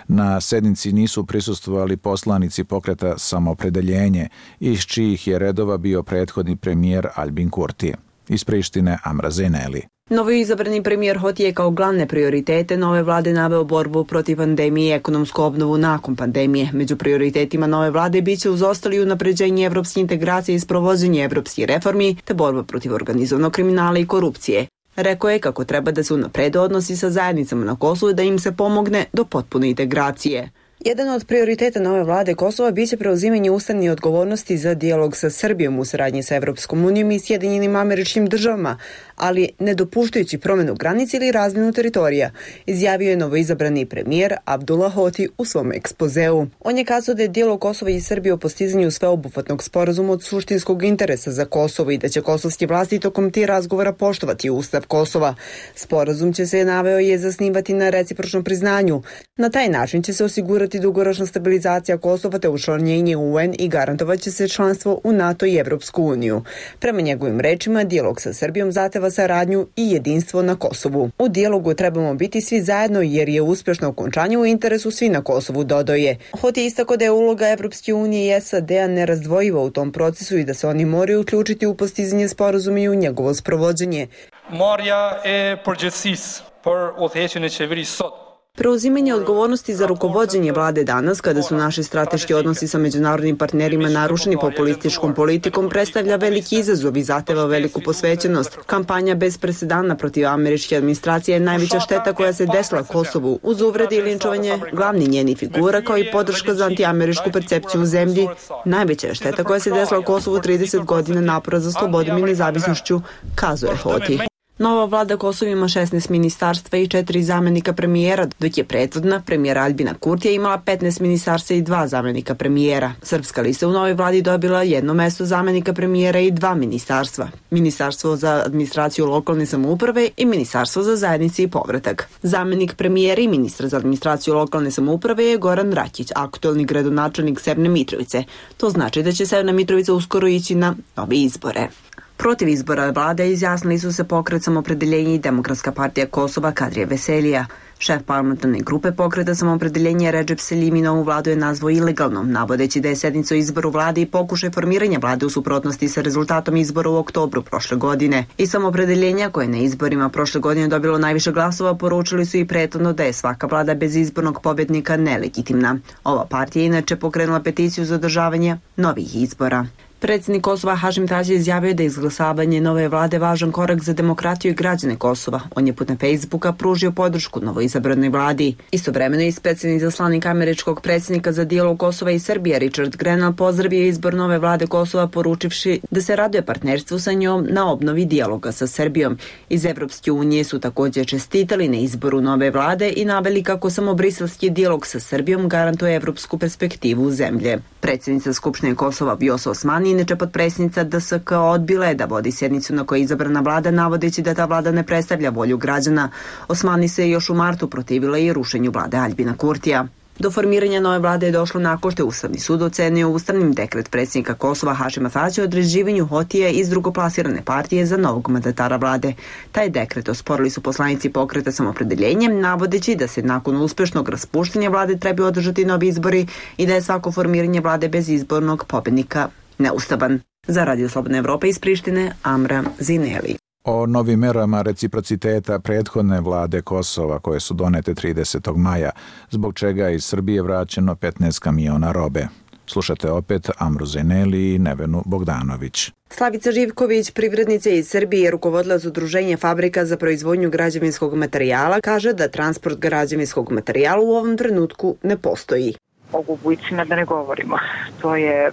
[SPEAKER 12] Na sednici nisu prisustvovali poslanici pokreta Samoopredeljenje, iz čijih je redova bio prethodni premijer Albin Kurti. Iz Prištine Amra Zeneli.
[SPEAKER 14] Novo izabrani premijer Hoti je kao glavne prioritete nove vlade naveo borbu protiv pandemije i ekonomsku obnovu nakon pandemije. Među prioritetima nove vlade biće uz ostali unapređenje evropske integracije i sprovođenje evropskih reformi te borba protiv organizovanog kriminala i korupcije. Rekao je kako treba da se unaprede odnosi sa zajednicama na Kosovu i da im se pomogne do potpune integracije. Jedan od prioriteta nove vlade Kosova biće preuzimanje ustavne odgovornosti za dijalog sa Srbijom u saradnji sa Evropskom unijom i Sjedinjenim Američkim Državama, ali ne dopuštajući promenu granice ili razmjenu teritorija, izjavio je novoizabrani premijer Abdullah Hoti u svom ekspozeu. On je kazao da je dijalog Kosova i Srbije o postizanju sveobuhvatnog sporazuma od suštinskog interesa za Kosovo i da će kosovski vlasti tokom tih razgovora poštovati Ustav Kosova. Sporazum će se, naveo, je zasnivati na recipročnom priznanju. Na taj način će se osigurati dugoročna stabilizacija Kosova te učlanjenje u u en i garantovat će se članstvo u NATO i Evropsku uniju. Prema njegovim rečima, dijalog sa Srbijom zahteva saradnju i jedinstvo na Kosovu. U dijalogu trebamo biti svi zajedno jer je uspješno okončanje u interesu svi na Kosovu, dodao je. Hoti je istakao da je uloga Evropske unije i es a de-a nerazdvojiva u tom procesu i da se oni moraju uključiti u postizanje sporazuma i u njegovo sprovođenje.
[SPEAKER 27] Marja e përgjithësisë për udhëheqjen e qeverisë sot.
[SPEAKER 14] Preuzimanje odgovornosti za rukovođenje vlade danas, kada su naši strateški odnosi sa međunarodnim partnerima narušeni populističkom politikom, predstavlja veliki izazov i zahteva veliku posvećenost. Kampanja bez presedana protiv američke administracije je najveća šteta koja se desila Kosovu, uz uvrede i linčovanje glavni njeni figura, kao i podrška za antiameričku percepciju u zemlji. Najveća je šteta koja se desila Kosovu trideset godina napora za slobodom i nezavisnošću, kazuje Hoti. Nova vlada Kosova ima šesnaest ministarstva i četiri zamenika premijera, dok je prethodna, premijera Aljbina Kurtija, imala petnaest ministarstva i dva zamenika premijera. Srpska lista u novoj vladi dobila jedno mesto zamenika premijera i dva ministarstva. Ministarstvo za administraciju lokalne samouprave i Ministarstvo za zajednice i povratak. Zamenik premijera i ministra za administraciju lokalne samouprave je Goran Rakić, aktuelni gradonačelnik Severne Mitrovice. To znači da će Severna Mitrovica uskoro ići na nove izbore. Protiv izbora vlade izjasnili su se Pokret Samoopredeljenje i Demokratska partija Kosova Kadrija Veselija. Šef parlamentarne grupe Pokreta Samoopredeljenja Redžep Selimi novu vladu je nazvao ilegalnom, navodeći da je sednica o izboru vlade i pokušaj formiranja vlade u suprotnosti sa rezultatom izbora u oktobru prošle godine. I Samoopredeljenja, koje na izborima prošle godine dobilo najviše glasova, poručili su i prethodno da je svaka vlada bez izbornog pobednika nelegitimna. Ova partija je inače pokrenula peticiju za održavanje novih izbora. Predsjednik Kosova Hašim Tači izjavio da je izglasavanje nove vlade važan korak za demokratiju i građane Kosova. On je putem Facebooka pružio podršku novoizabranoj vladi. Istovremeno i specijalni zaslanik američkog predsjednika za dijalog Kosova i Srbije Richard Grenell pozdravio izbor nove vlade Kosova, poručivši da se raduje partnerstvu sa njom na obnovi dijaloga sa Srbijom. Iz Evropske unije su također čestitali na izboru nove vlade i naveli kako samo briselski dijalog sa Srbijom garantuje evropsku perspektivu zemlje. Predsjednica Skupštine Kosova Vjosa Osmani, inače potpredsjednica D S K, odbila je da vodi sjednicu na kojoj je izabrana vlada, navodeći da ta vlada ne predstavlja volju građana. Osmani se još u martu protivila i rušenju vlade Aljbina Kurtija. Do formiranja nove vlade je došlo nakon što je Ustavni sud ocenio ustavnim dekret predsjednika Kosova Hašima Tačija o određivanju Hotije iz drugoplasirane partije za novog mandatara vlade. Taj dekret osporili su poslanici Pokreta Samoopredeljenje, navodeći da se nakon uspešnog raspuštanja vlade treba održati novi izbori i da je svako formiranje vlade bez izbornog pobednika neustavan. Za Radio Slobodna Evropa iz Prištine, Amra Zineli.
[SPEAKER 12] O novim merama reciprociteta prethodne vlade Kosova koje su donete tridesetog maja, zbog čega je iz Srbije vraćeno petnaest kamiona robe. Slušate opet Amru Zeneli i Nevenu Bogdanović.
[SPEAKER 14] Slavica Živković, privrednica iz Srbije, rukovodilac Udruženja fabrika za proizvodnju građevinskog materijala, kaže da transport građevinskog materijala u ovom trenutku ne postoji.
[SPEAKER 13] O gubicima da ne govorimo. To je e,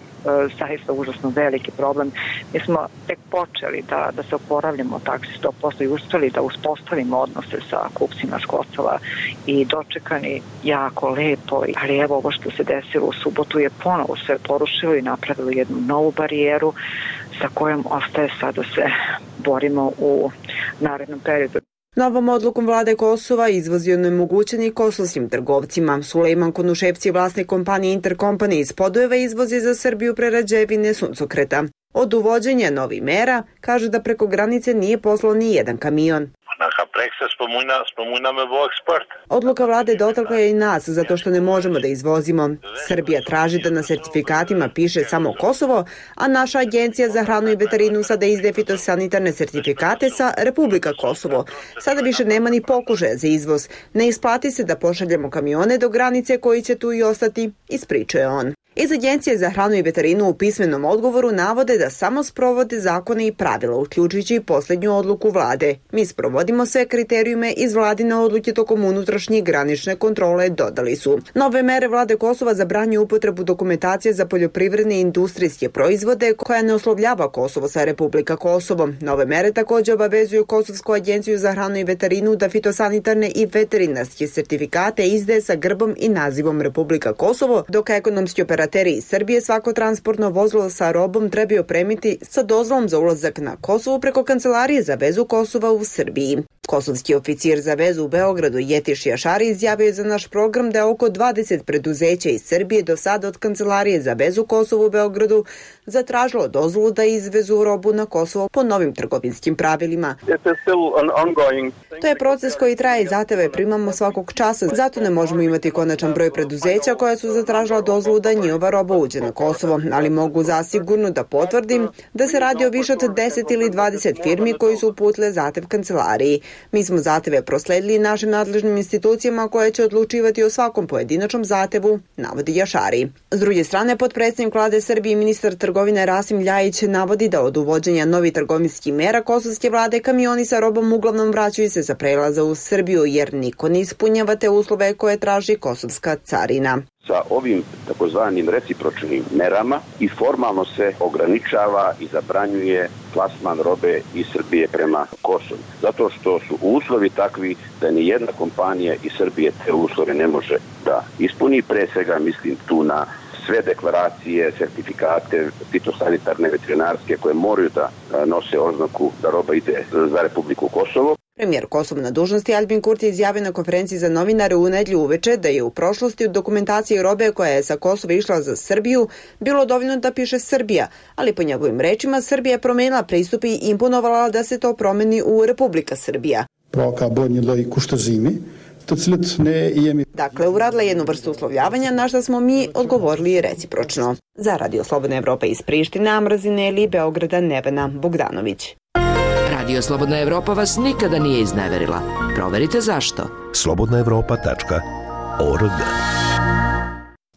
[SPEAKER 13] zaista užasno veliki problem. Mi smo tek počeli da, da se oporavljamo taksi sto posto i uspeli da uspostavimo odnose sa kupcima s Kosova i dočekani jako lepo. Ali evo ovo što se desilo u subotu je ponovo sve porušilo i napravilo jednu novu barijeru sa kojom ostaje sad da se borimo u narednom periodu.
[SPEAKER 14] Novom odlukom vlade Kosova izvoz je onemogućen kosovskim trgovcima. Sulejman Konuševci, vlasnik kompanije Intercompany iz Podujeva, izvozi za Srbiju prerađevine suncokreta. Od uvođenja novih mera kaže da preko granice nije poslao ni jedan kamion. Odluka vlade dotakla je i nas zato što ne možemo da izvozimo. Srbija traži da na sertifikatima piše samo Kosovo, a naša agencija za hranu i veterinu sada izdaje fitosanitarne sertifikate sa Republika Kosovo. Sada više nema ni pokušaja za izvoz. Ne isplati se da pošaljemo kamione do granice koji će tu i ostati, ispričuje on. Iz Agencije za hranu i veterinu u pismenom odgovoru navode da samo sprovode zakone i pravila, uključujući i posljednju odluku vlade. Mi sprovodimo sve kriterijume iz vladine odluke tokom unutrašnje i granične kontrole, dodali su. Nove mere vlade Kosova zabranjuju upotrebu dokumentacije za poljoprivredne i industrijske proizvode koja ne oslovljava Kosovo sa Republika Kosovo. Nove mere također obavezuju Kosovsku agenciju za hranu i veterinu da fitosanitarne i veterinarske sertifikate izdaje sa grbom i nazivom Republika Kosovo, dok ekonomski operativni Operateri iz Srbije svako transportno vozilo sa robom trebaju opremiti sa dozvolom za ulazak na Kosovo preko Kancelarije za vezu Kosova u Srbiji. Kosovski oficir za vezu u Beogradu Jetiš Jašari izjavio je za naš program da je oko dvadeset preduzeća iz Srbije do sada od Kancelarije za vezu Kosovo u Beogradu zatražilo dozvolu da izvezu robu na Kosovo po novim trgovinskim pravilima. To je proces koji traje i zahteve primamo svakog časa, zato ne možemo imati konačan broj preduzeća koja su zatražila dozvolu da njihova roba uđe na Kosovo, ali mogu zasigurno da potvrdim da se radi o više od deset ili dvadeset firmi koji su uputile zahtev Kancelariji. Mi smo zahteve prosledili našim nadležnim institucijama koje će odlučivati o svakom pojedinačnom zahtevu, navodi Jašari. S druge strane, potpredsjednik vlade Srbije i ministar trgovine Rasim Ljajić navodi da od uvođenja novih trgovinskih mera kosovske vlade kamioni sa robom uglavnom vraćaju se za prelaza u Srbiju jer niko ne ispunjava te uslove koje traži kosovska carina.
[SPEAKER 10] Sa ovim takozvanim recipročnim merama i formalno se ograničava i zabranjuje plasman robe iz Srbije prema Kosovu. Zato što su uslovi takvi da ni jedna kompanija iz Srbije te uslove ne može da ispuni. Pre svega mislim tu na sve deklaracije, sertifikate fitosanitarne, veterinarske koje moraju da nose oznaku da roba ide za Republiku Kosovo.
[SPEAKER 14] Premijer Kosova na dužnosti Albin Kurti izjavio na konferenciji za novinare u nedjelju uveče da je u prošlosti u dokumentaciji robe koja je sa Kosova išla za Srbiju bilo dovoljno da piše Srbija, ali po njegovim rečima Srbija je promenila pristup i imponovala da se to promeni u Republika Srbija. Dakle, uradila jednu vrstu uslovljavanja na što smo mi odgovorili recipročno. Za Radio Slobodna Evropa iz Priština, Mrazine ili Beograda, Nevena Bogdanović.
[SPEAKER 17] Radio Slobodna Evropa vas nikada nije izneverila. Proverite zašto. slobodna evropa tačka org.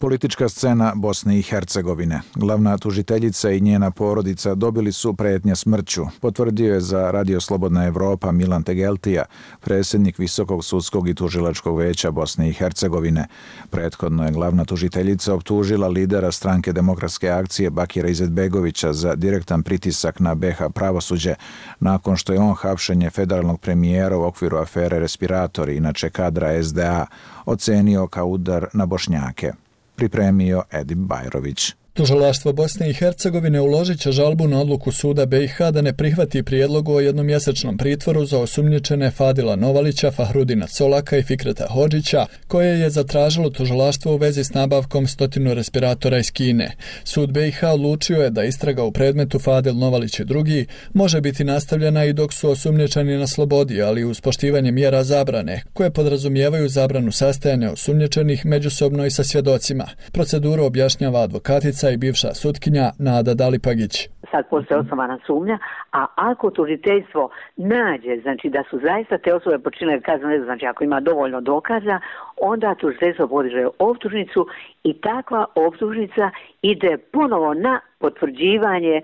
[SPEAKER 12] Politička scena Bosne i Hercegovine. Glavna tužiteljica i njena porodica dobili su pretnje smrću, potvrdio je za Radio Slobodna Evropa Milan Tegeltija, predsjednik Visokog sudskog i tužilačkog veća Bosne i Hercegovine. Prethodno je glavna tužiteljica optužila lidera stranke Demokratske akcije Bakira Izetbegovića za direktan pritisak na be ha pravosuđe, nakon što je on hapšenje federalnog premijera u okviru afere Respiratori, inače kadra es de a, ocenio kao udar na Bošnjake. Pripremio Edip Bajrović.
[SPEAKER 19] Tužilaštvo Bosne i Hercegovine uložit će žalbu na odluku suda be i ha da ne prihvati prijedlog o jednomjesečnom pritvoru za osumnjičene Fadila Novalića, Fahrudina Colaka i Fikreta Hodžića, koje je zatražilo tužilaštvo u vezi s nabavkom stotinu respiratora iz Kine. Sud be i ha odlučio je da istraga u predmetu Fadil Novalić i drugi može biti nastavljena i dok su osumnjičeni na slobodi, ali uz poštivanje mjera zabrane, koje podrazumijevaju zabranu sastajanja osumnjičenih međusobno i sa svjedocima. Proceduru objašnjava advokatica i bivša sutkinja Nada Dalipagić.
[SPEAKER 20] Sad postoje osnovana sumnja, a ako tužiteljstvo nađe, znači da su zaista te osobe počinile kazneno djelo, znači ako ima dovoljno dokaza, onda tužiteljstvo podiže optužnicu i takva optužnica ide ponovo na potvrđivanje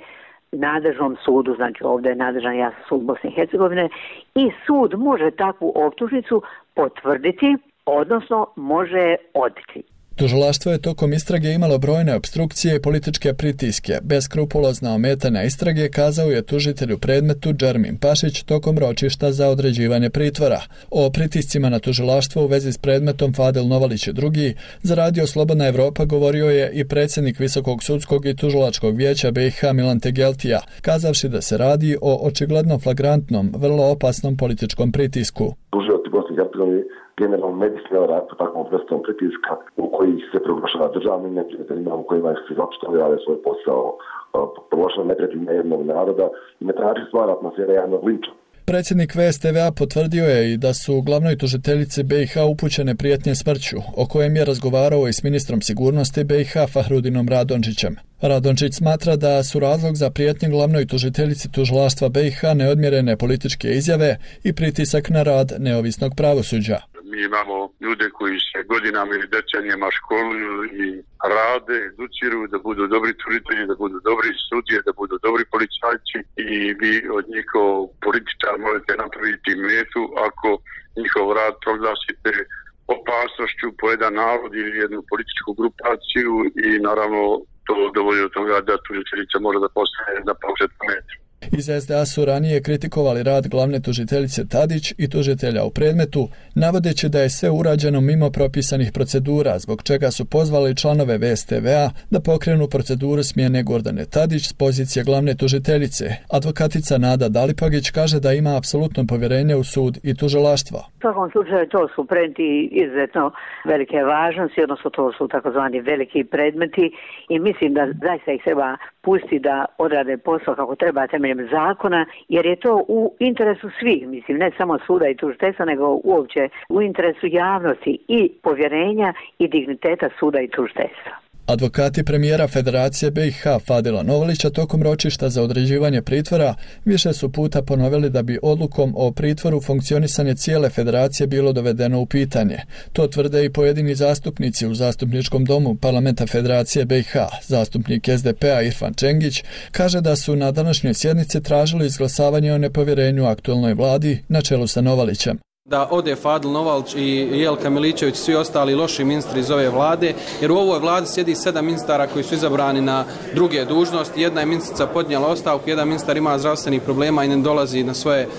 [SPEAKER 20] nadležnom sudu, znači ovdje je nadležan ja sud Bosne i Hercegovine, i sud može takvu optužnicu potvrditi, odnosno može odbiti.
[SPEAKER 19] Tužilaštvo je tokom istrage imalo brojne opstrukcije i političke pritiske. Beskrupulozna ometanja istrage, kazao je tužitelj u predmetu Džermin Pašić tokom ročišta za određivanje pritvora. O pritiscima na tužilaštvo u vezi s predmetom Fadil Novalić i drugi za Radio Slobodna Evropa govorio je i predsjednik Visokog sudskog i tužilačkog vijeća be i ha Milan Tegeltija, kazavši da se radi o očigledno flagrantnom, vrlo opasnom političkom pritisku.
[SPEAKER 21] generalno ne bi smjela raditi takvom vrstom pritiska u koji se proglašava državnim neprijateljima, u kojima se zapravo rade svoj posao, proglašava neprijateljima jednog naroda i ne traži stvar atmosfere javnog linča.
[SPEAKER 19] Predsjednik ve es te ve a potvrdio je i da su glavnoj tužiteljici be i ha upućene prijetnje smrću, o kojem je razgovarao i s ministrom sigurnosti be i ha Fahrudinom Radončićem. Radončić smatra da su razlog za prijetnje glavnoj tužiteljici tužilaštva be i ha neodmjerene političke izjave i pritisak na rad neovisnog pravosuđa.
[SPEAKER 22] Mi imamo ljude koji se godinama ili decenijama školuju i rade, educiru da budu dobri tužitelji, da budu dobri sudije, da budu dobri policajci i vi od njih kao političar možete napraviti metu ako njihov rad proglasite opasnošću po jedan narod ili jednu političku grupaciju i naravno to dovolji od toga da tužiteljica može da postane na paušetnu metu.
[SPEAKER 19] Iz es de a su ranije kritikovali rad glavne tužiteljice Tadić i tužitelja u predmetu, navodeći da je sve urađeno mimo propisanih procedura, zbog čega su pozvali članove ve es te ve a da pokrenu proceduru smjene Gordane Tadić s pozicije glavne tužiteljice. Advokatica Nada Dalipagić kaže da ima apsolutno povjerenje u sud i tužilaštvo.
[SPEAKER 20] U svakom slučaju to su predmeti izuzetno velike važnosti, odnosno to su takozvani veliki predmeti i mislim da zaista ih treba pustiti da odrade posao kako treba temeljem zakona, jer je to u interesu svih, mislim, ne samo suda i tužiteljstva, nego uopće u interesu javnosti i povjerenja i digniteta suda i tužiteljstva.
[SPEAKER 19] Advokati premijera Federacije be i ha Fadila Novalića tokom ročišta za određivanje pritvora više su puta ponovili da bi odlukom o pritvoru funkcionisanje cijele federacije bilo dovedeno u pitanje. To tvrde i pojedini zastupnici u zastupničkom domu Parlamenta Federacije be i ha. Zastupnik es de pe a Irfan Čengić kaže da su na današnjoj sjednici tražili izglasavanje o nepovjerenju aktualnoj vladi na čelu sa Novalićem.
[SPEAKER 3] Da ode Fadil Novalić i Jelka Miličević, svi ostali loši ministri iz ove vlade, jer u ovoj vladi sjedi sedam ministara koji su izabrani na druge dužnosti. Jedna je ministrica podnijela ostavku, jedan ministar ima zdravstvenih problema i ne dolazi na svoje uh,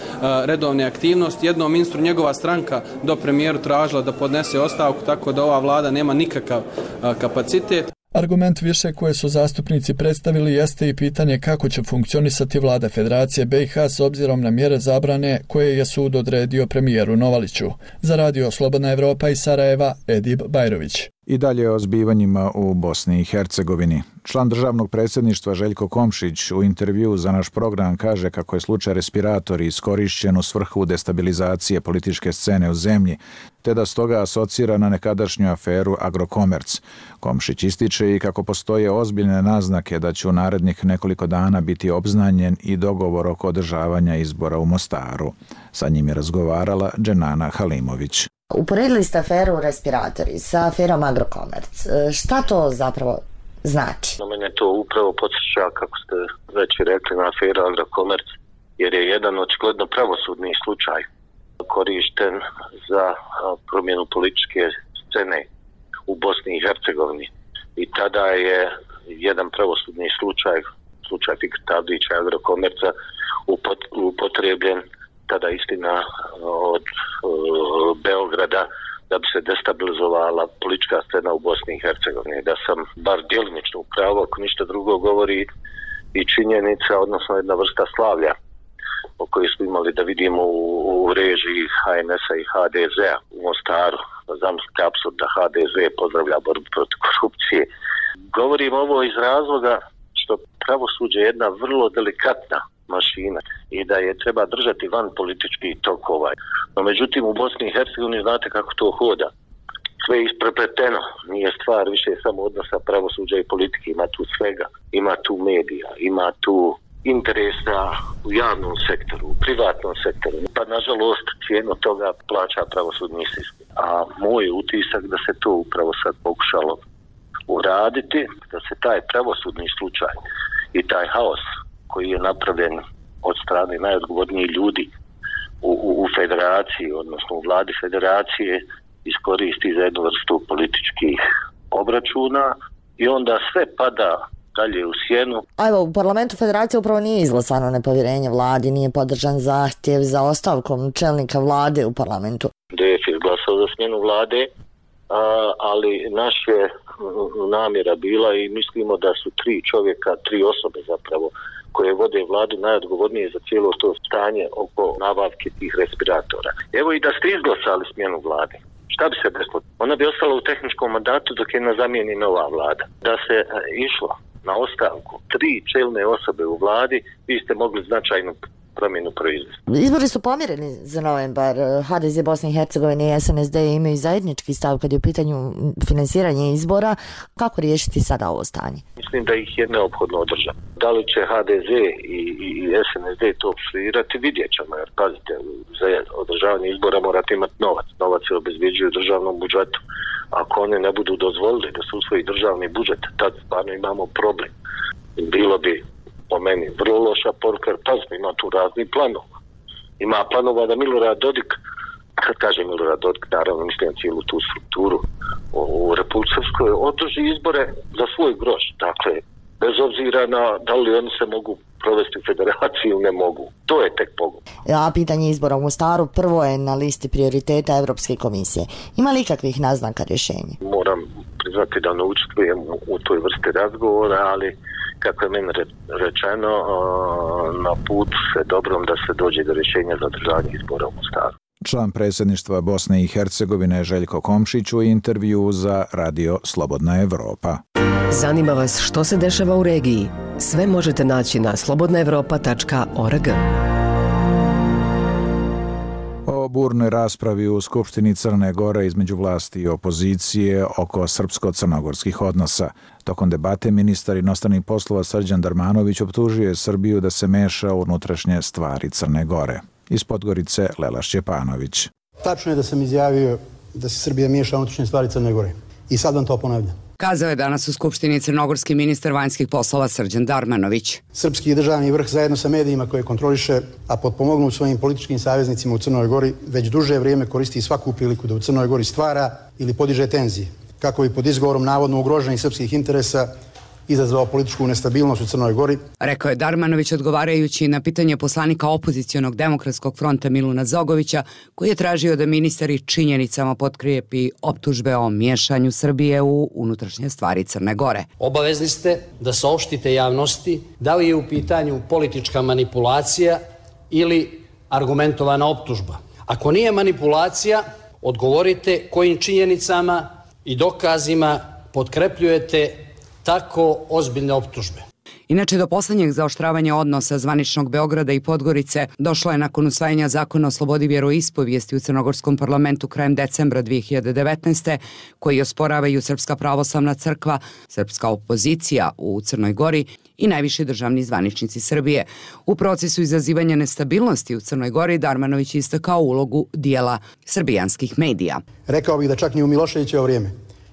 [SPEAKER 3] redovne aktivnosti. Jednom ministru njegova stranka do premijeru tražila da podnese ostavku, tako da ova vlada nema nikakav uh, kapacitet.
[SPEAKER 19] Argument više koje su zastupnici predstavili jeste i pitanje kako će funkcionisati vlada Federacije B i H s obzirom na mjere zabrane koje je sud odredio premijeru Novaliću. Za radio Slobodna Evropa iz Sarajeva, Edib Bajrović.
[SPEAKER 12] I dalje o zbivanjima u Bosni i Hercegovini. Član državnog predsjedništva Željko Komšić u intervjuu za naš program kaže kako je slučaj respiratori iskorišćen u svrhu destabilizacije političke scene u zemlji, te da stoga asocira na nekadašnju aferu Agrokomerc. Komšić ističe i kako postoje ozbiljne naznake da će u narednih nekoliko dana biti obznanjen i dogovor oko održavanja izbora u Mostaru. Sa njim je razgovarala Dženana Halimović.
[SPEAKER 5] Uporedili ste aferu respiratori sa aferom Agrokomerc. Šta to zapravo znači?
[SPEAKER 6] Na mene to upravo podsjeća, kako ste već rekli, na aferu Agrokomerc, jer je jedan očigledno pravosudni slučaj korišten za promjenu političke scene u Bosni i Hercegovini. I tada je jedan pravosudni slučaj, slučaj Fikreta Abdića i Agrokomerca, upotrebljen tada istina od uh, Beograda da bi se destabilizovala politička scena u Bosni i Hercegovini. Da sam bar djelimično u pravu, ako ništa drugo govori i činjenica, odnosno jedna vrsta slavlja o kojoj smo imali da vidimo u, u režiji H N S-a i H D Z-a u Mostaru. Zamislite apsurd da H D Z pozdravlja borbu protiv korupcije. Govorim ovo iz razloga što pravosuđe je jedna vrlo delikatna mašina i da je treba držati van političkih tokova. No međutim u Bosni i Hercegovini znate kako to hoda. Sve je isprepleteno, nije stvar više samo odnosa pravosuđa i politike, ima tu svega, ima tu medija, ima tu interesa u javnom sektoru, u privatnom sektoru. Pa nažalost cijenu toga plaća pravosudni sistem. A moj utisak da se to upravo sad pokušalo uraditi, da se taj pravosudni slučaj i taj haos koji je napravljen od strane najodgovornijih ljudi u, u, u federaciji, odnosno u vladi federacije, iskoristi za jednu vrstu političkih obračuna i onda sve pada dalje u sjenu.
[SPEAKER 5] A evo, u parlamentu federacije upravo nije izglasano nepovjerenje vladi, nije podržan zahtjev za ostavkom čelnika vlade u parlamentu.
[SPEAKER 6] D F je glasao za smjenu vlade, a, ali naš je namjera bila i mislimo da su tri čovjeka, tri osobe zapravo, koje vode vladu najodgovornije za cijelo to stanje oko nabavke tih respiratora. Evo i da ste izglasali smjenu vlade, šta bi se desilo? Ona bi ostala u tehničkom mandatu dok je ne zamijeni nova vlada. Da se e, išlo na ostavku tri čelne osobe u vladi, vi ste mogli značajnu promjenu proizvesti.
[SPEAKER 5] Izbori su pomjereni za novembar. H D Z Bosne i Hercegovine i S N S D imaju zajednički stav kad je u pitanju finansiranje izbora. Kako riješiti sada ovo stanje?
[SPEAKER 6] Mislim da ih je neophodno održati. Da li će H D Z i, i, i S N S D to svirati, vidjet ćemo. Jer pazite, za održavanje izbora morate imati novac. Novac se obezbjeđuje u državnom budžetu. Ako one ne budu dozvolili da se usvoji državni budžet, tad stvarno imamo problem. Bilo bi po meni vrlo loša poruka, jer pazite, ima tu razni planova. Ima planova da Milorad Dodik, kad kaže Milorad Dodik, naravno mislim cijelu tu strukturu u, u Republici Srpskoj, održi izbore za svoj groš. Dakle, bez obzira na da li oni se mogu provesti u federaciji ili ne mogu. To je tek pogled.
[SPEAKER 5] A pitanje izbora u Mostaru prvo je na listi prioriteta Evropske komisije. Ima li ikakvih naznaka rješenja?
[SPEAKER 6] Moram priznati da ne učestvujem u, u toj vrsti razgovora, ali kako je meni rečeno, na put se dobrom da se dođe do rješenja za održavanje izbora u Mostaru.
[SPEAKER 12] Član predsjedništva Bosne i Hercegovine Željko Komšić u intervju za radio Slobodna Evropa.
[SPEAKER 7] Zanima vas što se dešava u regiji? Sve možete naći na slobodna evropa tačka org.
[SPEAKER 12] O burnoj raspravi u Skupštini Crne Gore između vlasti i opozicije oko srpsko-crnogorskih odnosa. Tokom debate ministar inostranih poslova Srđan Darmanović optužio je Srbiju da se meša u unutrašnje stvari Crne Gore. Iz Podgorice Lela Šćepanović.
[SPEAKER 23] Tačno je da sam izjavio da se Srbija miješa u unutrašnje stvari Crne Gore. I sad vam to ponavljam.
[SPEAKER 8] Kazao je danas u Skupštini crnogorski ministar vanjskih poslova Srđan Darmanović.
[SPEAKER 9] Srpski državni vrh zajedno sa medijima koje kontroliše, a potpomognut svojim političkim saveznicima u Crnoj Gori, već duže vrijeme koristi svaku priliku da u Crnoj Gori stvara ili podiže tenzije, kako bi pod izgovorom navodno ugroženih srpskih interesa izazvao političku nestabilnost u Crnoj Gori.
[SPEAKER 8] Rekao je Darmanović odgovarajući na pitanje poslanika opozicionog demokratskog fronta Miluna Zogovića, koji je tražio da ministar činjenicama potkrijepi optužbe o miješanju Srbije u unutrašnje stvari Crne Gore.
[SPEAKER 18] Obavezni ste da saopštite javnosti da li je u pitanju politička manipulacija ili argumentovana optužba. Ako nije manipulacija, odgovorite kojim činjenicama i dokazima potkrepljujete tako ozbiljne optužbe.
[SPEAKER 8] Inače, do poslednjeg zaoštravanja odnosa zvaničnog Beograda i Podgorice došlo je nakon usvajanja zakona o slobodi vjeroispovijesti u crnogorskom parlamentu krajem decembra dve hiljade devetnaeste. koji osporavaju Srpska pravoslavna crkva, srpska opozicija u Crnoj Gori i najviši državni zvaničnici Srbije. U procesu izazivanja nestabilnosti u Crnoj Gori Darmanović istakao ulogu dijela srbijanskih medija.
[SPEAKER 9] Rekao bih da čak ni u Miloševićevo vrijeme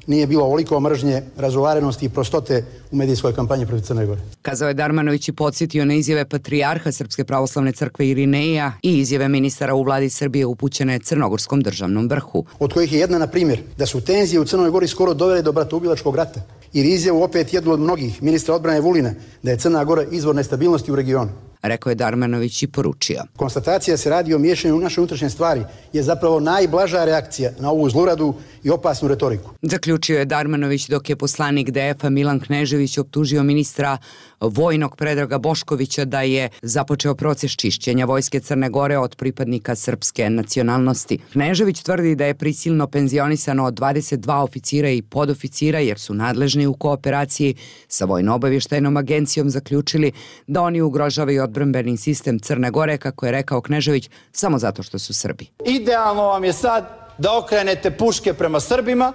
[SPEAKER 9] nije bilo ovoliko mržnje, razovarenosti i prostote u medijskoj kampanji protiv Crne Gore.
[SPEAKER 8] Kazao je Darmanović i podsjetio na izjave patrijarha Srpske pravoslavne crkve Irineja i izjave ministara u vladi Srbije upućene Crnogorskom državnom vrhu.
[SPEAKER 9] Od kojih je jedna, na primjer, da su tenzije u Crnoj Gori skoro dovele do bratoubilačkog rata. Ili izjavu opet jednu od mnogih, ministra odbrane Vulina, da je Crna Gora izvor nestabilnosti u regionu.
[SPEAKER 8] Rekao je Darmanović i poručio.
[SPEAKER 9] Konstatacija se radi o miješanju u naše unutrašnje stvari je zapravo najblaža reakcija na ovu zluradu i opasnu retoriku.
[SPEAKER 8] Zaključio je Darmanović dok je poslanik D F-a Milan Knežević optužio ministra vojnog Predraga Boškovića da je započeo proces čišćenja vojske Crne Gore od pripadnika srpske nacionalnosti. Knežević tvrdi da je prisilno penzionisano od dvadeset dva oficira i podoficira jer su nadležni u kooperaciji sa Vojno-obavještajnom agencijom zaključili da oni ugrožavaju odbrambeni sistem Crne Gore, kako je rekao Knežević, samo zato što su Srbi.
[SPEAKER 23] Idealno vam je sad da okrenete puške prema Srbima,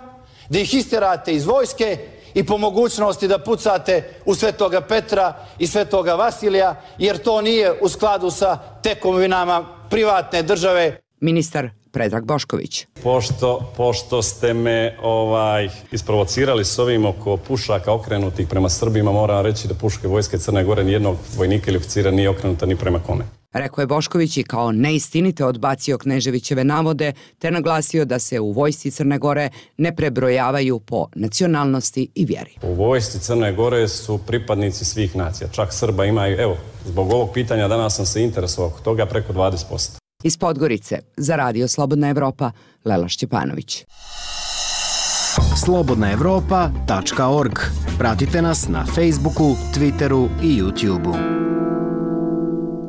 [SPEAKER 23] da ih isterate iz vojske i po mogućnosti da pucate u Svetoga Petra i Svetoga Vasilija, jer to nije u skladu sa tekovinama privatne države.
[SPEAKER 8] Ministar Predrag Bošković.
[SPEAKER 24] Pošto, pošto ste me ovaj, isprovocirali s ovim oko pušaka okrenutih prema Srbima, moram reći da puške vojske Crne Gore nijednog vojnika ili oficira nije okrenuta ni prema kome.
[SPEAKER 8] Rekao je Bošković i kao neistinite odbacio Kneževićeve navode, te naglasio da se u vojsci Crne Gore ne prebrojavaju po nacionalnosti i vjeri.
[SPEAKER 24] U vojsci Crne Gore su pripadnici svih nacija, čak Srba imaju, evo, zbog ovog pitanja danas sam se interesovao oko toga preko dvadeset posto.
[SPEAKER 8] Iz Podgorice, za Radio Slobodna Evropa, Lela Šćepanović.
[SPEAKER 2] slobodna evropa tačka org. Pratite nas na Facebooku, Twitteru i YouTubeu.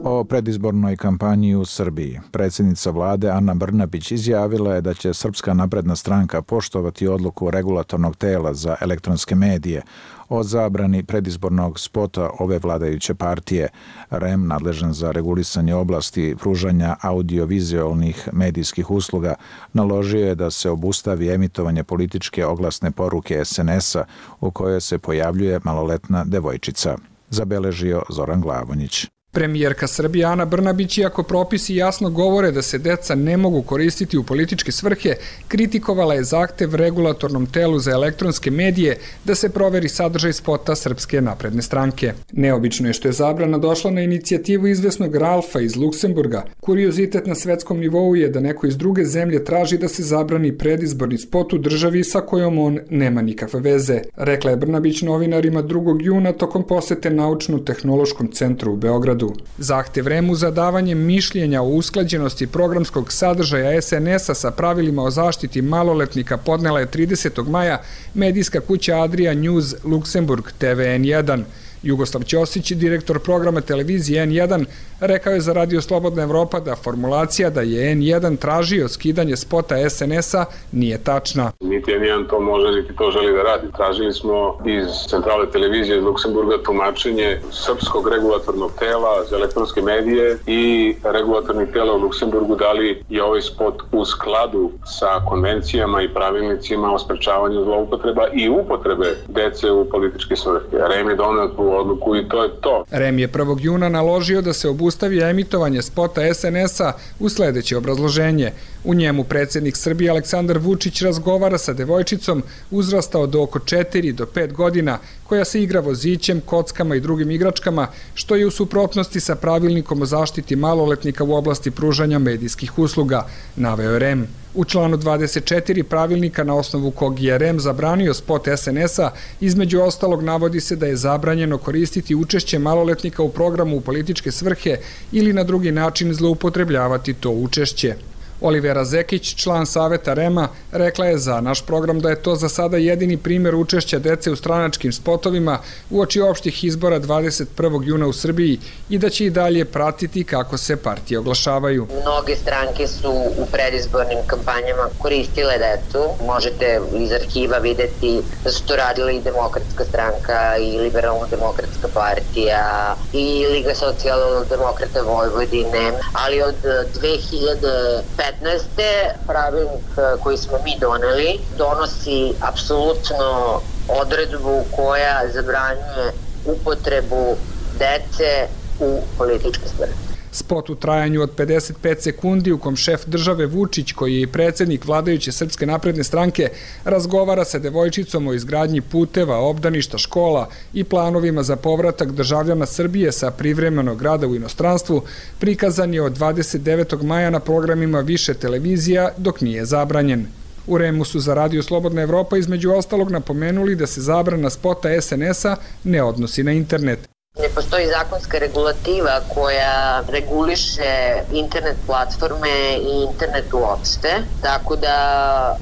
[SPEAKER 12] O predizbornoj kampanji u Srbiji. Predsjednica vlade Ana Brnabić izjavila je da će Srpska napredna stranka poštovati odluku regulatornog tela za elektronske medije o zabrani predizbornog spota ove vladajuće partije. R E M, nadležan za regulisanje oblasti pružanja audiovizualnih medijskih usluga, naložio je da se obustavi emitovanje političke oglasne poruke S N S-a u kojoj se pojavljuje maloletna devojčica. Zabeležio Zoran Glavonjić.
[SPEAKER 25] Premijerka Srbije Ana Brnabić, iako propisi jasno govore da se deca ne mogu koristiti u političke svrhe, kritikovala je zahtev regulatornom telu za elektronske medije da se proveri sadržaj spota Srpske napredne stranke. Neobično je što je zabrana došla na inicijativu izvesnog Ralfa iz Luksemburga. Kuriozitet na svetskom nivou je da neko iz druge zemlje traži da se zabrani predizborni spot u državi sa kojom on nema nikakve veze. Rekla je Brnabić novinarima drugog juna tokom posete Naučno-tehnološkom centru u Beogradu. Zahtev R E M-u za davanje mišljenja o usklađenosti programskog sadržaja S N S-a sa pravilima o zaštiti maloletnika podnela je tridesetog maja medijska kuća Adria News Luksemburg T V N jedan. Jugoslav Ćosić, direktor programa televizije N jedan, rekao je za Radio Slobodna Evropa da formulacija da je N jedan tražio skidanje spota S N S-a nije tačna.
[SPEAKER 26] Niti N jedan to može, niti to želi da radi. Tražili smo iz centrale televizije iz Luksemburga tumačenje Srpskog regulatornog tela za elektronske medije i regulatornih tela u Luksemburgu da li je ovaj spot u skladu sa konvencijama i pravilnicima o sprečavanju zloupotreba i upotrebe dece u političke svrhe. R E M je doneo tu odluku i to je to.
[SPEAKER 25] R E M je prvog juna naložio da se obustavi emitovanje spota S N S-a u sledeće obrazloženje. U njemu predsjednik Srbije Aleksandar Vučić razgovara sa devojčicom uzrastao do oko četiri do pet godina, koja se igra vozićem, kockama i drugim igračkama, što je u suprotnosti sa pravilnikom o zaštiti maloletnika u oblasti pružanja medijskih usluga, naveo je R E M. U članu dvadeset četiri pravilnika na osnovu kog je R E M zabranio spot S N S-a, između ostalog navodi se da je zabranjeno koristiti učešće maloletnika u programu u političke svrhe ili na drugi način zloupotrebljavati to učešće. Olivera Zekić, član saveta R E M-a, rekla je za naš program da je to za sada jedini primjer učešća dece u stranačkim spotovima uoči opštih izbora dvadeset prvog juna u Srbiji i da će i dalje pratiti kako se partije oglašavaju.
[SPEAKER 1] Mnoge stranke su u predizbornim kampanjama koristile decu. Možete iz arhiva videti da su to radile i Demokratska stranka i Liberalno-demokratska partija i Liga socijaldemokrata Vojvodine, ali od dve hiljade petnaeste pravilnik koji smo mi doneli donosi apsolutno odredbu koja zabranjuje upotrebu dece u političke svrhe.
[SPEAKER 25] Spot u trajanju od pedeset pet sekundi u kom šef države Vučić, koji je i predsjednik vladajuće Srpske napredne stranke, razgovara sa devojčicom o izgradnji puteva, obdaništa, škola i planovima za povratak državljana Srbije sa privremenog rada u inostranstvu, prikazan je od dvadeset devetog maja na programima više televizija dok nije zabranjen. U R E M-u su za Radio Slobodna Evropa između ostalog napomenuli da se zabrana spota S N S-a ne odnosi na internet.
[SPEAKER 1] Ne postoji zakonska regulativa koja reguliše internet platforme i internet uopšte, tako da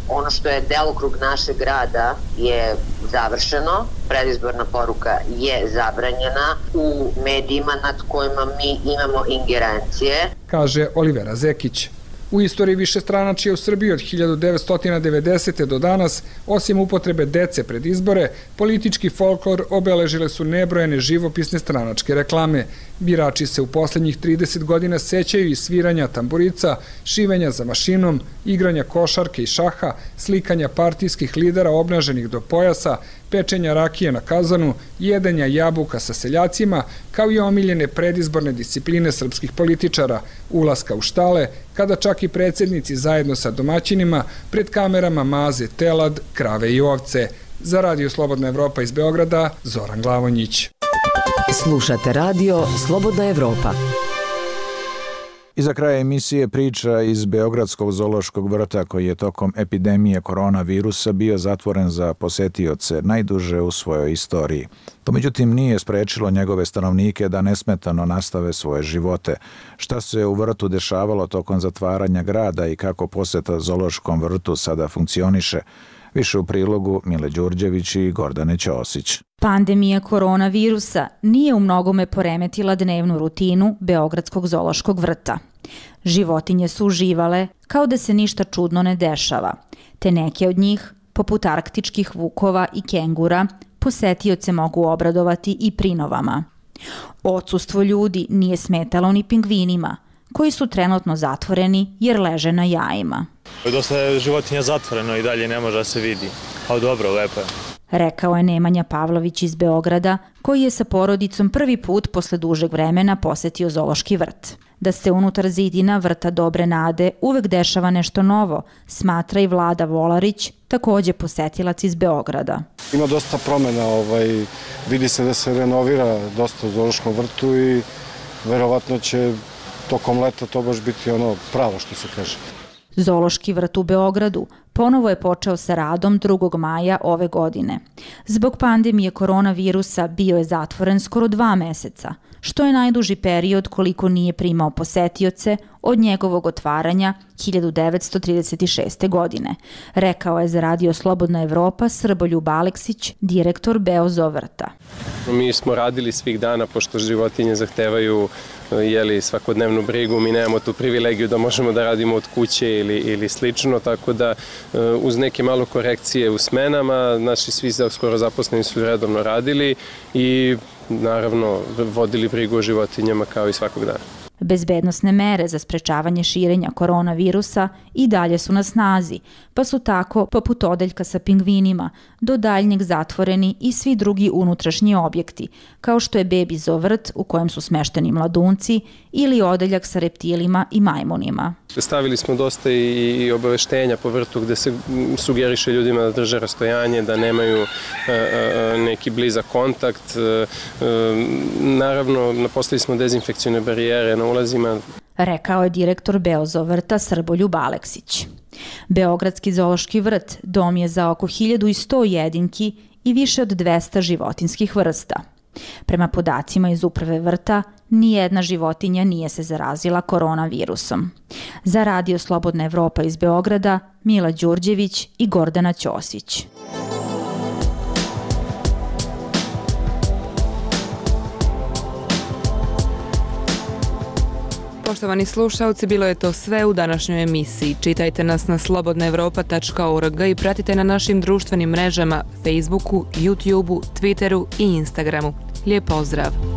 [SPEAKER 1] ono što je delokrug našeg rada je završeno, predizborna poruka je zabranjena u medijima nad kojima mi imamo ingerencije,
[SPEAKER 25] kaže Olivera Zekić. U istoriji višestranačja u Srbiji od hiljadu devetsto devedesete. do danas, osim upotrebe dece pred izbore, politički folklor obeležile su nebrojene živopisne stranačke reklame. Birači se u poslednjih trideset godina sećaju i sviranja tamburica, šivenja za mašinom, igranja košarke i šaha, slikanja partijskih lidera obnaženih do pojasa, pečenja rakije na kazanu, jedenja jabuka sa seljacima, kao i omiljene predizborne discipline srpskih političara, ulaska u štale, kada čak i predsjednici zajedno sa domaćinima pred kamerama maze telad, krave i ovce. Za Radio Slobodna Evropa iz Beograda, Zoran Glavonjić.
[SPEAKER 7] Slušate radio Slobodna Evropa.
[SPEAKER 12] I za kraj emisije priča iz Beogradskog zoološkog vrta koji je tokom epidemije koronavirusa bio zatvoren za posetioce najduže u svojoj istoriji. To međutim nije sprečilo njegove stanovnike da nesmetano nastave svoje živote. Šta se u vrtu dešavalo tokom zatvaranja grada i kako poseta zoološkom vrtu sada funkcioniše? Više u prilogu Mile Đurđević i Gordane Ćosić.
[SPEAKER 4] Pandemija koronavirusa nije u mnogome poremetila dnevnu rutinu Beogradskog zoološkog vrta. Životinje su uživale kao da se ništa čudno ne dešava, te neke od njih, poput arktičkih vukova i kengura, posetioce mogu obradovati i prinovama. Odsustvo ljudi nije smetalo ni pingvinima, koji su trenutno zatvoreni jer leže na jajima.
[SPEAKER 11] Dosta je životinja zatvoreno i dalje ne može da se vidi, ali dobro, lepo je.
[SPEAKER 4] Rekao je Nemanja Pavlović iz Beograda, koji je sa porodicom prvi put posle dužeg vremena posetio zoološki vrt. Da se unutar zidina vrta Dobre nade uvek dešava nešto novo, smatra i Vlada Volarić, takođe posetilac iz Beograda.
[SPEAKER 13] Ima dosta promjena, ovaj, vidi se da se renovira dosta u zoološkom vrtu i verovatno će tokom leta to baš biti ono pravo što se kaže.
[SPEAKER 4] Zoološki vrt u Beogradu ponovo je počeo sa radom drugog maja ove godine. Zbog pandemije koronavirusa bio je zatvoren skoro dva meseca, što je najduži period koliko nije primao posetioce od njegovog otvaranja hiljadu devetsto trideset šeste. godine, rekao je za Radio Slobodna Evropa Srboljub Aleksić, direktor Beozo vrta.
[SPEAKER 15] Mi smo radili svih dana, pošto životinje zahtevaju jeli, svakodnevnu brigu, mi nemamo tu privilegiju da možemo da radimo od kuće ili, ili slično, tako da uz neke malo korekcije u smenama, naši svi skoro zaposleni su redovno radili i naravno vodili brigu o životinjama kao i svakog dana.
[SPEAKER 4] Bezbednosne mere za sprečavanje širenja koronavirusa i dalje su na snazi, pa su tako, poput odeljka sa pingvinima, do daljnjeg zatvoreni i svi drugi unutrašnji objekti, kao što je bebi zoo vrt u kojem su smešteni mladunci ili odeljak sa reptilima i majmunima.
[SPEAKER 15] Stavili smo dosta i obaveštenja po vrtu gde se sugeriše ljudima da drže rastojanje, da nemaju neki blizak kontakt. Naravno, napostavili smo dezinfekcijne barijere na ulazima.
[SPEAKER 4] Rekao je direktor Beozoo vrta Srboljub Aleksić. Beogradski zoološki vrt dom je za oko hiljadu sto jedinki i više od dvesta životinskih vrsta. Prema podacima iz uprave vrta, nijedna životinja nije se zarazila koronavirusom. Za Radio Slobodna Evropa iz Beograda, Mila Đurđević i Gordana Ćosić.
[SPEAKER 10] Poštovani slušalci, bilo je to sve u današnjoj emisiji. Čitajte nas na slobodna evropa tačka org i pratite na našim društvenim mrežama Facebooku, YouTubeu, Twitteru i Instagramu. Lijep pozdrav!